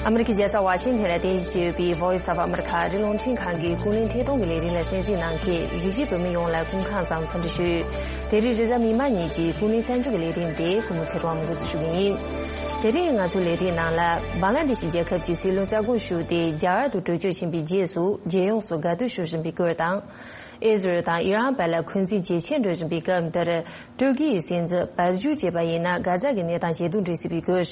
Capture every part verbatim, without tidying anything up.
ཨ་མི་རི་ཀའི་རྒྱལ་ས་ཝ་ཤིང་ཐན་ལ་རྟེན་གཞི་བྱས་ཡོད་པའི་Voice of America ཨ་རིའི་རླུང་འཕྲིན་ཁང་གི་ཀུན་གླེང་ཐད་གཏོང་གི་ལས་རིམ་ལ་གསན་གཟིགས་གནང་མཁན་གཞིས་བྱེས་བོད་མི་ཡོངས་ལ་སྐུ་ཁམས་བཟང་འཚམས་འདྲི་ཞུ། དེ་རིང་རེས་གཟའ་མིག་དམར་ཉིན་གྱི་ཀུན་གླེང་གསར་འགྱུར་གྱི་ལས་རིམ་དེ་གུས་མོ་ཚེ་རིང་དབང་མོ་འགོ་འཛུགས་ཞུ་གི་ཡིན། དེ་རིང་ང་ཚོའི་ལས་རིམ་ནང་ལ་བང་ལ་དེ་ཤི་རྒྱལ་ཁབ་ཀྱི་སྲིད་བློན་རྩ་དགོངས་ཞུས་ཏེ་རྒྱ་གར་དུ་བྲོས་བྱོལ་ཕྱིན་པའི་རྗེས་སུ་རྒྱལ་ཡོངས་སུ་དགའ་སྟོན་ཞུ་བཞིན་པའི་སྐོར་དང་། ཨི་ཟི་རལ་དང་ཨི་རན་བར་ལ་འཁོན་འཛིན་ཇེ་ཆེར་འགྲོ་བཞིན་པའི་སྐབས་འདིར། ཏུར་ཀི་ཡི་སྲིད་འཛིན་བར་བརྒྱུད་བྱས་པ་ཡིན་ན་གྷ་ཛ་གི་གནས་སྟངས་ཇེ་སྡུག་འགྲོ་སྲིད་པའི་སྐོར།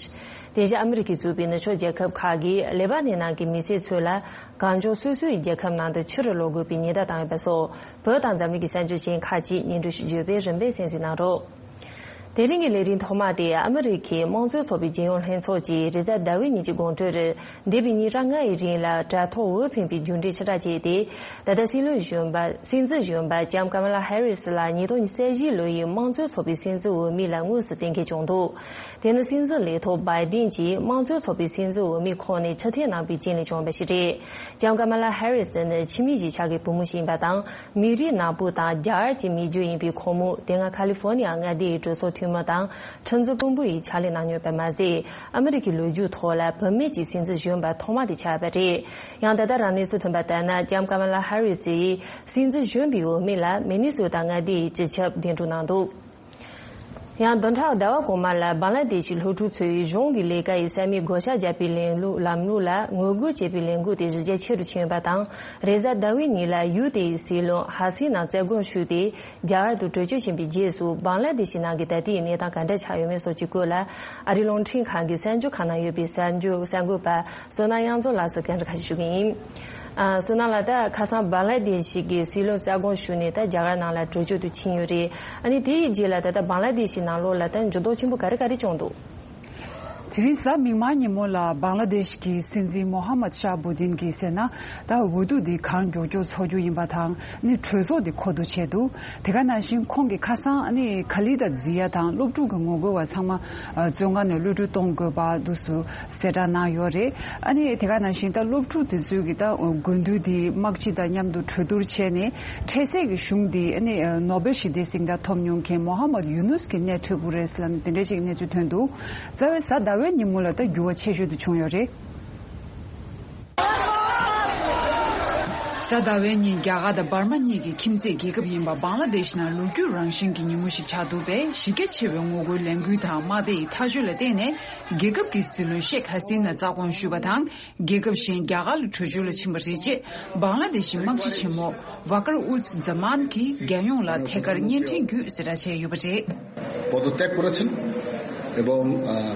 དེ་བཞིན་ཨ་མི་རི་ཀས་གཙོས་པའི་ནུབ་ཕྱོགས་རྒྱལ་ཁབ་ཁག་གིས་ལེ་པ་ནན་ནང་གི་མི་སེར་ཚོ་ལ་གང་བྱུང་སོ་སོའི་རྒྱལ་ཁབ་ནང་དུ་ཕྱིར་ལོག་དགོས་པའི་ཉེན་བརྡ་བཏང་ཡོད་པ་སོགས་བོད་དང་འཛམ་གླིང་གི་གསར་འགྱུར་ཆེན་ཁག་ཅིག་སྙན་སྒྲོན་ཞུ་རྒྱུ་ཡོད་པས་རིམ་པས་གསན་གཟིགས་གནང་རོགས། དེ་རིང་གི་ལས་རིམ་ཐོག་མ་དེ་ཨ་མི་རི་ཀའི་དམངས་གཙོའི་ཚོགས་པའི་རྒྱལ་ཡོངས་ལྷན་ཚོགས་ཀྱིས་རེས་གཟའ་ཟླ་བའི་ཉིན་གྱི་དགོང་དྲོར། འདས་པའི་ཉིན་གྲངས་ལྔ་ཡི་རིང་ལ་དྲ་ཐོག་འོས་འཕེན་པའི་རྒྱུ་འབྲས་ཕྱིར་བསྒྲགས་བྱས་ཏེ། ད་ལྟ་སྲིད་བློན་གཞོན་པ་སྲིད་འཛིན་གཞོན་པ་ལྕམ་ཀ་མ་ལ་ཧེ་རི་སི་ལ་ཉིས་སྟོང་ཉི་ཤུ་རྩ་བཞི་ལོ་ཡི་དམངས་གཙོའི་ཚོགས་པའི་སྲིད་འཛིན་འོས་མི་ལ་དངོས་སུ་གཏན་འཁེལ་བྱུང་འདུག་དེ་ནི་སྲིད་འཛིན་ལས་ཐོག་བྷའི་ཏིན་གྱིས་དམངས་གཙོའི་ཚོགས་པའི་སྲིད་འཛིན་འོས་མི་ཁོངས་ནས་ཕྱིར་འཐེན་གནང་པའི་རྐྱེན་ལས་བྱུང་བ་ཞིག་རེད། ལྕམ་ཀ་མ་ལ་ཧེ་རི་སི་ནི་ཕྱི་མི་གཞིས་ཆགས་ཀྱི་བུ་མོ་ཞིག་ཡིན་པ་དང་། མི་རིགས་ནག་པོ་དང་རྒྱ་གར་གྱི་མི་རྒྱུད་ཡིན་པའི་ཁོང་མོ་དེ་སྔ་ཁ་ལི་ཧྥོ་ནི་ཡ་མངའ་སྡེའི་གྲོས་ཚོགས་འཐུས་མི་དང་ཁྲིམས་བཟོ་དཔོན་པོ་ཡི་ཕྱག་ལས་གནང་མྱོང་ཡོད་པ་མ་ཟད། ཨ་མི་རི་ཀའི་ལོ་རྒྱུས་ཐོག་ལ་བུད་མེད་ཀྱི་སྲིད་འཛིན་གཞོན་པ་ཐོག་མ་དེ་ཆགས་པ་རེད། ཡང་ད་ལྟ་རང་གནས་ཚུལ་ཐོན་པ་ལྟར་ན་ལྕམ་ཀ་མ་ལ་ཧ་རི་སི་ཡིས་སྲིད་འཛིན་གཞོན་པའི་འོས་མི་ལ་མི་ནི་སོ་ཊ་མངའ་སྡེ་ཡི་སྤྱི་ཁྱབ་གདན་དྲངས་གནང་འདུག་ཡང་བདུན་ཕྲག་ཟླ་བ་གོང་མ་ལ་བང་ལ་དེ་ཤི་སློབ་ཕྲུག་ཚོས་གཞུང་གི་ལས་ཀ་ཡི་ས་མིག་བགོ་བཤའ་བརྒྱབ་པའི་ལམ་ལུགས་ལམ་ལུགས་ལ་ངོ་རྒོལ་བྱེད་པའི་ལས་འགུལ་དེ་གཞི་རྒྱ་ཆེ་རུ་ཕྱིན་ཡོད་པ་དང་། རེས་གཟའ་ཟླ་བའི་ཉིན་ལ་ཡུལ་དེའི་སྲིད་བློན་ཧ་སི་ན་རྩ་དགོངས་ཞུས་ཏེ། རྒྱ་གར་དུ་བྲོས་བྱོལ་ཕྱིན་པའི་རྗེས་སུ་བང་ལ་དེ་ཤི་ནང་གི་ད་ལྟའི་གནས་སྟངས་ག་འདྲ་ཆགས་ཡོད་མེད་སོགས་ཀྱི་སྐོར་ལ་ཨ་རིའི་རླུང་འཕྲིན་ཁང་གི་གསར་འགྱུར་ཁང་ནང་ཡོད་པའི་གསར་འགྱུར་གསར་འགོད་པ་བསོད་ནམས་དབྱངས་འཛོམས་ལགས་སུ་བཀའ་འདྲི་ཁ་ཤས་ཞུ་གི་ཡིན། ཨ། བསོད་ནམས་ལགས། ད་ཁ་སང་བང་ལ་དེ་ཤི་གི་སྲིད་བློན་རྩ་དགོངས་ཞུས་ནས་ད་རྒྱ་གར་ནང་ལ་བྲོས་བྱོལ་དུ་ཕྱིན་ཡོད་རེད། ཨ་ནི་དེ་ཡི་རྗེས་ལ་ད་ལྟ་བང་ལ་དེ་ཤི་ནང་ལོགས་ལ་ད་འགྱུར་ལྡོག་ཆེན་པོ་ག་རེ་ག་རེ་བྱུང་འདུག་དེ་རིང་གཟའ་མིག་དམར་ཉིན་མོ་ལ་བང་ལ་དེ་ཤི་གི་སྲིད་འཛིན་མོ་ཧ་མད་ཤཱ་བྷུ་ཏིན་གྱིས་ཟེར་ན། ད་འོས་བསྡུ་འདི་གང་མགྱོགས་མགྱོགས་འཚོགས་རྒྱུ་ཡིན་པ་དང་། ཨ་ནི་གྲོས་ཚོགས་འདི་མཁོ་བསྡུ་བྱས་འདུག་དེ་ག་ནང་བཞིན་ཁོང་གིས་ཁ་སང་ཨ་ནི་ཁ་ལི་ད་ཛི་ཡ་དང་སློབ་ཕྲུག་གི་ངོ་རྒོལ་བ་ཚང་མ་བཙོན་ཁང་ནས་གློད་གྲོལ་གཏོང་དགོས་པ་འདུག་སུ་གསལ་བསྒྲགས་གནང་ཡོད་རེད། ཨ་ནི་དེ་ག་ནང་བཞིན་ད་སློབ་ཕྲུག་དེ་ཚོས་ཀྱི་ད་དགུན་དུས་དེ་དམག་སྤྱི་དང་མཉམ་དུ་གྲོས་བསྡུར་བྱས་ནས་འཕྲལ་སེལ་གྱི་གཞུང་དེ་ཨ་ནི་ནོ་སྦེལ་ཞི་བདེའི་གཟེངས་རྟགས་ཐོབ་མྱོང་མཁན་མོ་ཧ་མད་ཡུ་ནུས་ཀྱི་སྣེ་ཁྲིད་དགོས་རེད་ལབ་ནས་དེ་འདྲ་ཅིག་གནས་ཚུལ་ཐོན་འདུག་རྩ་བའི་གཟའ་ཟླ་བའི་ཉིན་མོ་ལ་ད་འགྱུར་བ་ཆེ་ཤོས་དེ་བྱུང་ཡོད་རེད། གཟའ་ཟླ་བའི་ཉིན་རྒྱ་གར་དང་འབར་མ་གཉིས་ཀྱི་ཁྱིམ་མཚེས་རྒྱལ་ཁབ་ཡིན་པ་བང་ལ་དེ་ཤི་ནང་ལོ་རྒྱུས་རང་བཞིན་གྱི་ཉིན་མོ་ཞིག་ཆགས་འདུག་པས། གཞི་རྒྱ་ཆེ་བའི་ངོ་རྒོལ་ལས་འགུལ་དང་དམག་སྡེ་ཡི་ཐག་གཅོད་ལ་བརྟེན་ནས་རྒྱལ་ཁབ་ཀྱི་སྲིད་བློན་ཤེག་ཧ་སི་ན་རྩ་དགོངས་ཞུས་པ་དང་། རྒྱལ་ཁབ་གཞན་རྒྱ་གར་ལ་བྲོས་བྱོལ་ལ་ཕྱིན་པ་རེད། ཅེས་བང་ལ་དེ་ཤི་དམག་སྤྱི་ཆེན་མོ་ཝ་ཀར་ཨུཛ་ཛ་མཱན་གྱིས་རྒྱལ་ཡོངས་ལ་ཐད་ཀར་བརྙན་འཕྲིན་བརྒྱུད་གསལ་བསྒྲགས་བྱས་ཡོད་པ་རེད། পদত্যাগ করেছেন এবং আহ,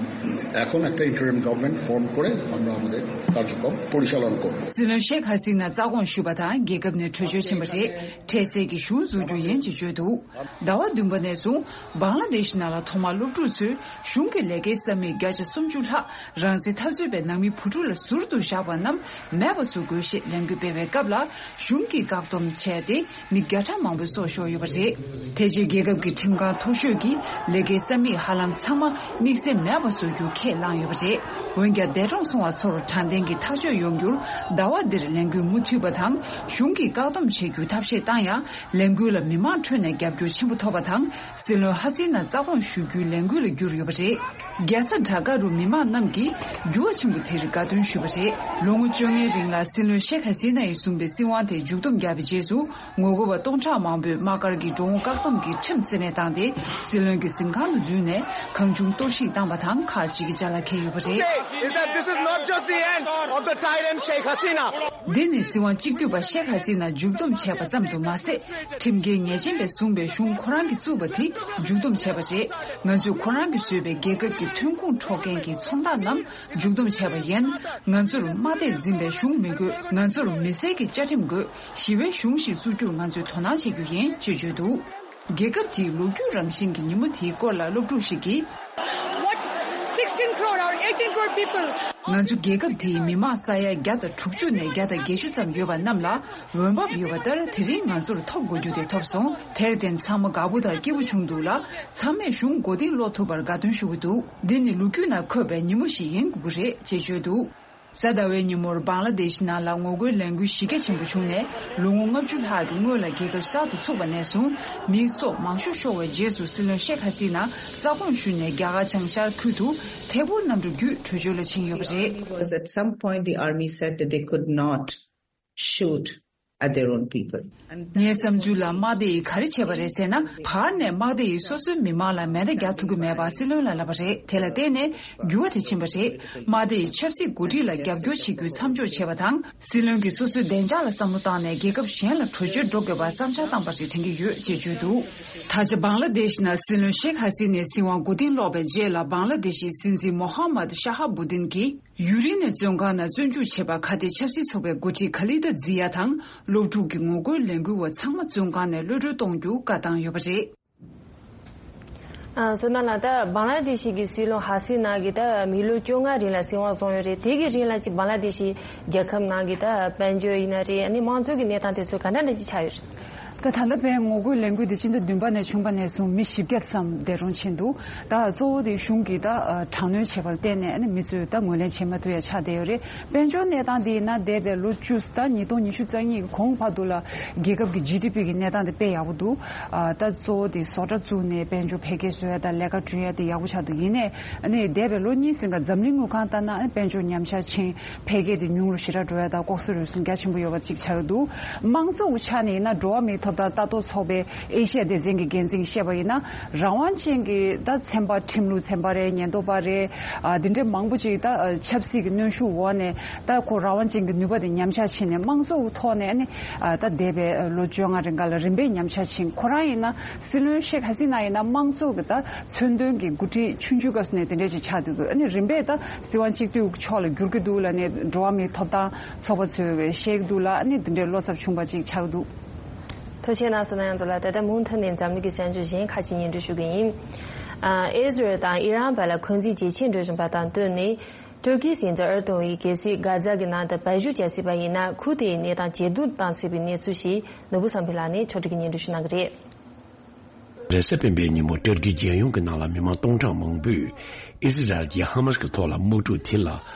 এখন একটা ইন্টারিম গভর্নমেন্ট ফর্ম করে আমরা আমাদের কার্যক্রম পরিচালনা করব। སྲིད་བློན་ཤེག་ཧ་སི་ན་རྩ་དགོངས་ཞུས་པ་དང་རྒྱལ་ཁབ་ནས་བྲོས་བྱོལ་ཕྱིན་པ་རེད། འཕྲལ་སེལ་གྱི་གཞུང་འཛུགས་རྒྱུ་ཡིན་ཅེས་བརྗོད་འདུག་ཟླ་བ་བདུན་པ་ནས་བཟུང་བང་ལ་དེ་ཤི་ནང་ལ་ཐོག་མར་སློབ་ཕྲུག་ཚོས་གཞུང་གི་ལས་ཀའི་ས་མིག་བརྒྱ་ཆ་སུམ་ཅུ་ལྷག་རང་བཙན་འཐབ་རྩོད་པའི་ནང་མི་བུ་ཕྲུག་ལ་ཟུར་དུ་བཞག་པ་རྣམས་མེད་པ་བཟོ་དགོས་ཞེས་ལས་འགུལ་སྤེལ་བའི་སྐབས་ལ། གཞུང་གིས་བཀག་སྡོམ་བྱས་ཏེ་མི་བརྒྱ་ཕྲག་མང་པོའི་སྲོག་ཤོར་ཡོད་པ་རེད། དེ་རྗེས་རྒྱལ་ཁབ་ཀྱི་ཁྲིམས་ཁང་མཐོ་ཤོས་ཀྱིས་ལས་ཀའི་ས་མིག་ཧ་ལམ་ཚང་མ་དམིགས་བསལ་མེད་པ་བཟོ་རྒྱུ་ཁས་བླངས་ཡོད་པ་རེད། འོན་ཀྱང་འདས་གྲོངས་སོང་བ་ཚོར་དྲང་བདེན་གྱི་ཐག་གཅོད་ཡོང་རྒྱུར་ཟླ་བ་འདིར་ལས་འགུལ་མུ་མཐུད་པ་དང་། གཞུང་གིས་བཀག་སྡོམ་བྱེད་རྒྱུ་ཐབས་ཤེས་བཏང་ཡང་། ལས་འགུལ་ལ་མི་མང་ཁྲོད་ནས་རྒྱབ་སྐྱོར་ཆེན་པོ་ཐོབ་པ་དང་། སྲིད་བློན་ཧ་སི་ན་རྩ་དགོངས་ཞུ་རྒྱུའི་ལས་འགུལ་ལ་གྱུར་ཡོད་པ་རེད། རྒྱལ་ས་ཌ་ཀ་རུ་མི་མང་རྣམས་ཀྱིས་འགྱུར་བ་ཆེན་པོ་དེར་དགའ་སྟོན་ཞུས་པ་རེད། ལོ་ངོ་བཅོ་ལྔའི་རིང་ལ་སྲིད་བློན་ཤེག་ཧ་སི་ན་ཡིས་བཟུང་པའི་སྲིད་དབང་དེ་མཇུག་སྡོམ་བརྒྱབ་པའི་རྗེས་སུ། ངོ་རྒོལ་བ་སྟོང་ཕྲག་མང་པོས་དམག་སྒར་གྱི་འགྲོ་འོང་བཀག་སྡོམ་གྱི་ཁྲིམས་རྩིས་མེད་བཏང་སྟེ། སྲིད་བློན་གྱི་གཟིམ་ཁང་དུ་འཛུལ་ནས་གང་བྱུང་གཏོར་བཤིག་བཏང་བ་དང་། ཁག་ཅིག་གིས་ཅ་ལག་འཁྱེར་ཡོད་པ་རེད། Is that this is not just the end of the tyrant Sheikh Hasina. འདི་ནི་སྲིད་དབང་གཅིག་སྡུད་པ་ཤེག་ཧ་སི་ན་མཇུག་སྡོམ་བྱས་པ་ཙམ་དུ་མ་ཟད། ཁྲིམས་འགལ་ཉེས་ཅན་པས་བཟུང་བའི་གཞུང་ཁོ་རང་གིས་བཙུགས་པ་དེ་མཇུག་སྡོམ་བྱས་པ་རེད། ང་ཚོས་ཁོ་རང་གིས་བཟོས་པའི་རྒྱལ་ཁབ་ཀྱི་ཐོན་ཁུངས་འཕྲོག་མཁན་གྱི་ཚོང་རྟགས་རྣམས་མཇུག་སྡོམ་བྱས་པ་ཡིན། ང་ཚོར་དམའ་སྡེ་འཛིན་པའི་གཞུང་མི་དགོས། ང་ཚོར་མི་སེར་གྱི་བཅའ་ཁྲིམས་དགོས། ཞི་བའི་གཞུང་ཞིག་བཙུགས་རྒྱུར་ང་ཚོས་དོ་སྣང་བྱེད་རྒྱུ་ཡིན་ཅེས་བརྗོད་འདུག་རྒྱལ་ཁབ་དེའི་ལོ་རྒྱུས་རང་བཞིན་གྱི་ཉིན་མོ་དེའི་སྐོར་ལ་སློབ་ཕྲུག་ཞིག་གིས། What sixteen crore or eighteen crore people? ང་ཚོ་རྒྱལ་ཁབ་དེའི་མི་མང་ས་ཡ་བརྒྱ་དང་དྲུག་ཅུ་ནས་བརྒྱ་དང་བརྒྱད་ཅུ་ཙམ་ཡོད་པ་རྣམས་ལ་འོས་འབབ་ཡོད་པ་ལྟར་དེ་རིང་ང་ཚོར་ཐོབ་དགོས་རྒྱུ་དེ་ཐོབ་སོང་། དེར་བརྟེན་ཚང་མ་དགའ་པོ་དང་སྐྱིད་པོ་བྱུང་འདུག་ལ། ཚང་མས་གཞུང་མགོ་རྟིང་སློག་ཐུབ་པར་དགའ་སྟོན་ཞུ་གི་འདུག་འདི་ནི་ལོ་རྒྱུས་ནང་འཁོད་པའི་ཉིན་མོ་ཞིག་ཡིན་དགོས་ཀྱི་རེད་ཅེས་བརྗོད་འདུག་གཟའ་ཟླ་བའི་ཉིན་མོར་བང་ལ་དེཤ་ནང་ལ་ངོ་རྒོལ་ལས་འགུལ་གཞི་རྒྱ་ཆེན་པོ་བྱུང་ནས། ལོ་ངོ་ལྔ་བཅུ་ལྷག་གི་སྔོན་ལ་རྒྱལ་ཁབ་གསར་དུ་ཚུགས་པ་ནས་བཟུང་མི་སྲོག་མང་ཤོས་ཤོར་བའི་རྗེས་སུ། སྲིད་བློན་ཤེག་ཧ་སི་ན་རྩ་དགོངས་ཞུས་ནས། རྒྱ་གར་བྱང་ཤར་ཁུལ་དུ་ཐད་འཕུར་གནམ་གྲུ་བརྒྱུད་བྲོས་བྱོལ་ལ་ཕྱིན་ཡོད་པ་རེད། Because at some point the army said that they could not shoot at their own people. ངའི་བསམ་ཚུལ་ལ་དམག་སྡེ་ཡིས་ག་རེ་བྱས་པ་རེད་ཟེར་ན། བར་ནས་དམག་སྡེ་ཡིས་སོ་སོའི་མི་མང་ལ་མེ་མདའ་རྒྱག་ཐུབ་ཀྱི་མེད་པ་སྲིད་བློན་ལ་ལབ་པ་རེད། དེ་ལ་བརྟེན་ནས་འགྱུར་བ་དེ་ཕྱིན་པ་རེད། དམག་སྡེ་ཡི་ཆབ་སྲིད་འགོ་ཁྲིད་ལ་རྒྱབ་སྐྱོར་བྱེད་རྒྱུའི་མཚམས་འཇོག་བྱས་པ་དང་། སྲིད་བློན་གྱིས་སོ་སོའི་བདེ་འཇགས་ལ་བསམ་བློ་བཏང་ནས་རྒྱལ་ཁབ་གཞན་ལ་བྲོས་བྱོལ་འགྲོ་དགོས་པར་བསམ་འཆར་བཏང་པ་རེད་དྲན་གྱི་ཡོད་ཅེས་བརྗོད་འདུག་ད་ཆ་བང་ལ་དེཤ་ནང་སྲིད་བློན་ཤེག་ཧ་སི་ནའི་སྲིད་དབང་མགོ་རྟིང་སློག་པའི་རྗེས་ལ། བང་ལ་དེཤ་ཡི་སྲིད་འཛིན་མོ་ཧ་མད་ཤ་ཧ་བུ་དིན་གྱིས་ཡུན་རིང་ནས་བཙོན་ཁང་ནང་བཙོན་འཇུག་བྱས་པ་ཁ་གཏད་ཆབ་སྲིད་ཚོགས་པའི་འགོ་ཁྲིད་ཁ་ལི་ད་ཛི་ཡ་དང་། སློབ་ཕྲུག་གི་ངོ་རྒོལ་ལས་འགུལ་བ་ཚང་མ་བཙོན་ཁང་ནས་གློད་གྲོལ་གཏོང་རྒྱུ་བཀའ་བཏང་ཡོད་པ་རེད། ཨ། བསོད་ནམས་ལགས། ད་བང་ལ་དེ་ཤི་གི་སྲིད་བློན་ཧ་སི་ན་གི་ད་མི་ལོ་བཅོ་ལྔ་རིང་ལ་སྲིད་དབང་བཟུང་ཡོད་རེད། དེ་གི་རིང་ལ་ཅིག་བང་ལ་དེ་ཤི་རྒྱལ་ཁབ་ནང་གི་ད་དཔལ་འབྱོར་ཡིན་ན་རེད། ཨ་ནི་དམངས་གཙོ་གི་གནས་སྟངས་དེ་ཚོ་ག་འདྲ་འདྲ་ཅིག་ཆགས་ཡོད་རེད། ད་ད་ལྟ་བའི་ངོ་རྒོལ་ལས་འགུལ་འདི་སྤྱི་ཟླ་བདུན་པ་ནས་བྱུང་བ་ནས་བཟུང་མི་བཞི་བརྒྱ་ཙམ་འདས་གྲོངས་ཕྱིན་འདུག་ད་གཙོ་བོ་དེ་གཞུང་གིས་ད་དྲག་གནོན་བྱས་པར་བརྟེན་ནས་ཨ་ནི་མི་ཚོས་ད་ངོས་ལེན་བྱེད་མ་ཐུབ་ཡ་ཆགས་བསྡད་ཡོད་རེད། དཔལ་འབྱོར་གནས་སྟངས་དེ་ཡིན་ན་འདས་པའི་ལོ་བཅུ། ད་ཉིས་སྟོང་ཉི་ཤུ་རྩ་གཉིས་ཀྱི་གོང་བར་དུ་ལ་རྒྱལ་ཁབ་ཀྱི་ཇི་ཌི་པི་གི་གནས་སྟངས་དེ་དཔེ་ཡག་པོ་འདུག་ད་གཙོ་བོ་དེ་བཟོ་གྲྭ་བཙུགས་ནས་དཔལ་འབྱོར་འཕེལ་རྒྱས་བཟོ་ཡ་དང་ལས་ཀ་བསྐྲུན་ཡ་དེ་ཡག་པོ་ཆགས་འདུག་ཡིན་ནའི་ཨ་ནི་འདས་པའི་ལོ་གཉིས་ཟིན་ག་འཛམ་གླིང་དངུལ་ཁང་ལྟར་ན་ཨ་ནི་དཔལ་འབྱོར་ཉམས་ཆག་ཕྱིན། འཕེལ་རྒྱས་དེ་ཉུང་རུ་ཞེ་དྲག་འགྲོ་ཡ་དང་ལྐོག་ཟ་རུལ་སུངས་རྒྱ་ཆེན་པོ་ཡོད་པ་ཅིག་ཆགས་ཡོད་འདུག་དམངས་གཙོ་གི་ཆ་ནས་ཡིན་ན་འགྲོ་བ་མིའི་ཐོབ་ཐང་ལྟ་རྟོག་ཚོགས་པའི་ཨེ་ཤི་ཡ་སྡེ་ཚན་གྱི་འགན་འཛིན་གྱིས་བཤད་པ་ཡིན་ན། རང་དབང་ཅན་གྱི་ད་ཚན་པ། ཁྲིམས་ལུགས་ཚན་པ་རེད། ཉེན་རྟོག་པ་རེད། ཨ། འདི་འདྲའི་མང་པོ་ཅིག་ད་ཆབ་སྲིད་ཀྱི་གནོན་ཤུགས་འོག་ནས་ད་ཁོ་རང་དབང་ཅན་གྱི་ནུས་པ་དེ་ཉམས་ཆག་ཕྱིན་ནས་དམངས་གཙོ་གི་ཐོག་ནས་ནི། ཨ། ད་འདས་པའི་ལོ་བཅོ་ལྔ་རིང་ག་ལ་རིམ་པས་ཉམས་ཆག་ཕྱིན། ཁོ་རང་ཡིན་ན་སྲིད་བློན་ཤེག་ཧ་སི་ན་ཡིན་ན་དམངས་གཙོ་གི་ད་མཚོན་དོན་གྱི་འགོ་ཁྲིད་ཆུང་ཆུང་སྐབས་སུ་ནས་དེ་འདྲས་ཅིག་ཆགས་འདུག་ཨ་ནི་རིམ་པས་ད་སྲིད་དབང་གཅིག་སྡུད་ཕྱོགས་ལ་འགྱུར་གྱི་འདུག་ལབ་ནས་འགྲོ་བ་མིའི་ཐོབ་ཐང་ཚོགས་པ་ཚོས་བཤད་ཀྱི་འདུག་ལ། ཨ་ནི་དེ་འདྲའི་བློ་འཚབ་བྱུང་བ་ཅིག་ཆགས་འདུག་ཐུགས་རྗེ་གནང་སོང་། ན་ཡང་ཚོ་ལ་ད་ལྟ་མུ་མཐུད་ནས་འཛམ་གླིང་གི་གསར་འགྱུར་གཞན་ཁག་ཅིག་སྙན་སྒྲོན་ཞུ་གི་ཡིན། ཨ། ཨི་ཟི་རལ་དང་ཨི་རན་བར་ལ་འཁོན་འཛིན་ཇེ་ཆེར་འགྲོ་བཞིན་པ་དང་བསྟུན་ནས། ཏུར་ཀིའི་སྲིད་འཛིན་ཨར་ཏོ་ཝན་གྱིས་གལ་སྲིད་གྷ་ཛ་གི་ནང་དུ་སྦས་ཞུགས་བྱ་སྲིད་པ་ཡིན་ན། ཁུལ་དེའི་གནས་སྟངས་ཇེ་སྡུག་བཏང་སྲིད་པའི་གནས་ཚུལ་ཞིག་ནོར་བུ་བསམ་འཕེལ་ལགས་ནས་ཕྱོགས་སྒྲིག་གིས་སྙན་སྒྲོན་ཞུ་གནང་གི་རེད། རེས་གཟའ་སྤེན་པའི་ཉིན་མོ་ཏུར་ཀིའི་རྒྱལ་ཡོངས་ཀྱི་ནང་ལ་མི་མང་སྟོང་ཕྲག་མང་པོས་ཨི་ཟི་རལ་གྱིས་ཧ་མ་སི་ཀྱི་ཐོག་ལ་དམག་འཁྲུག་དེ་ལ་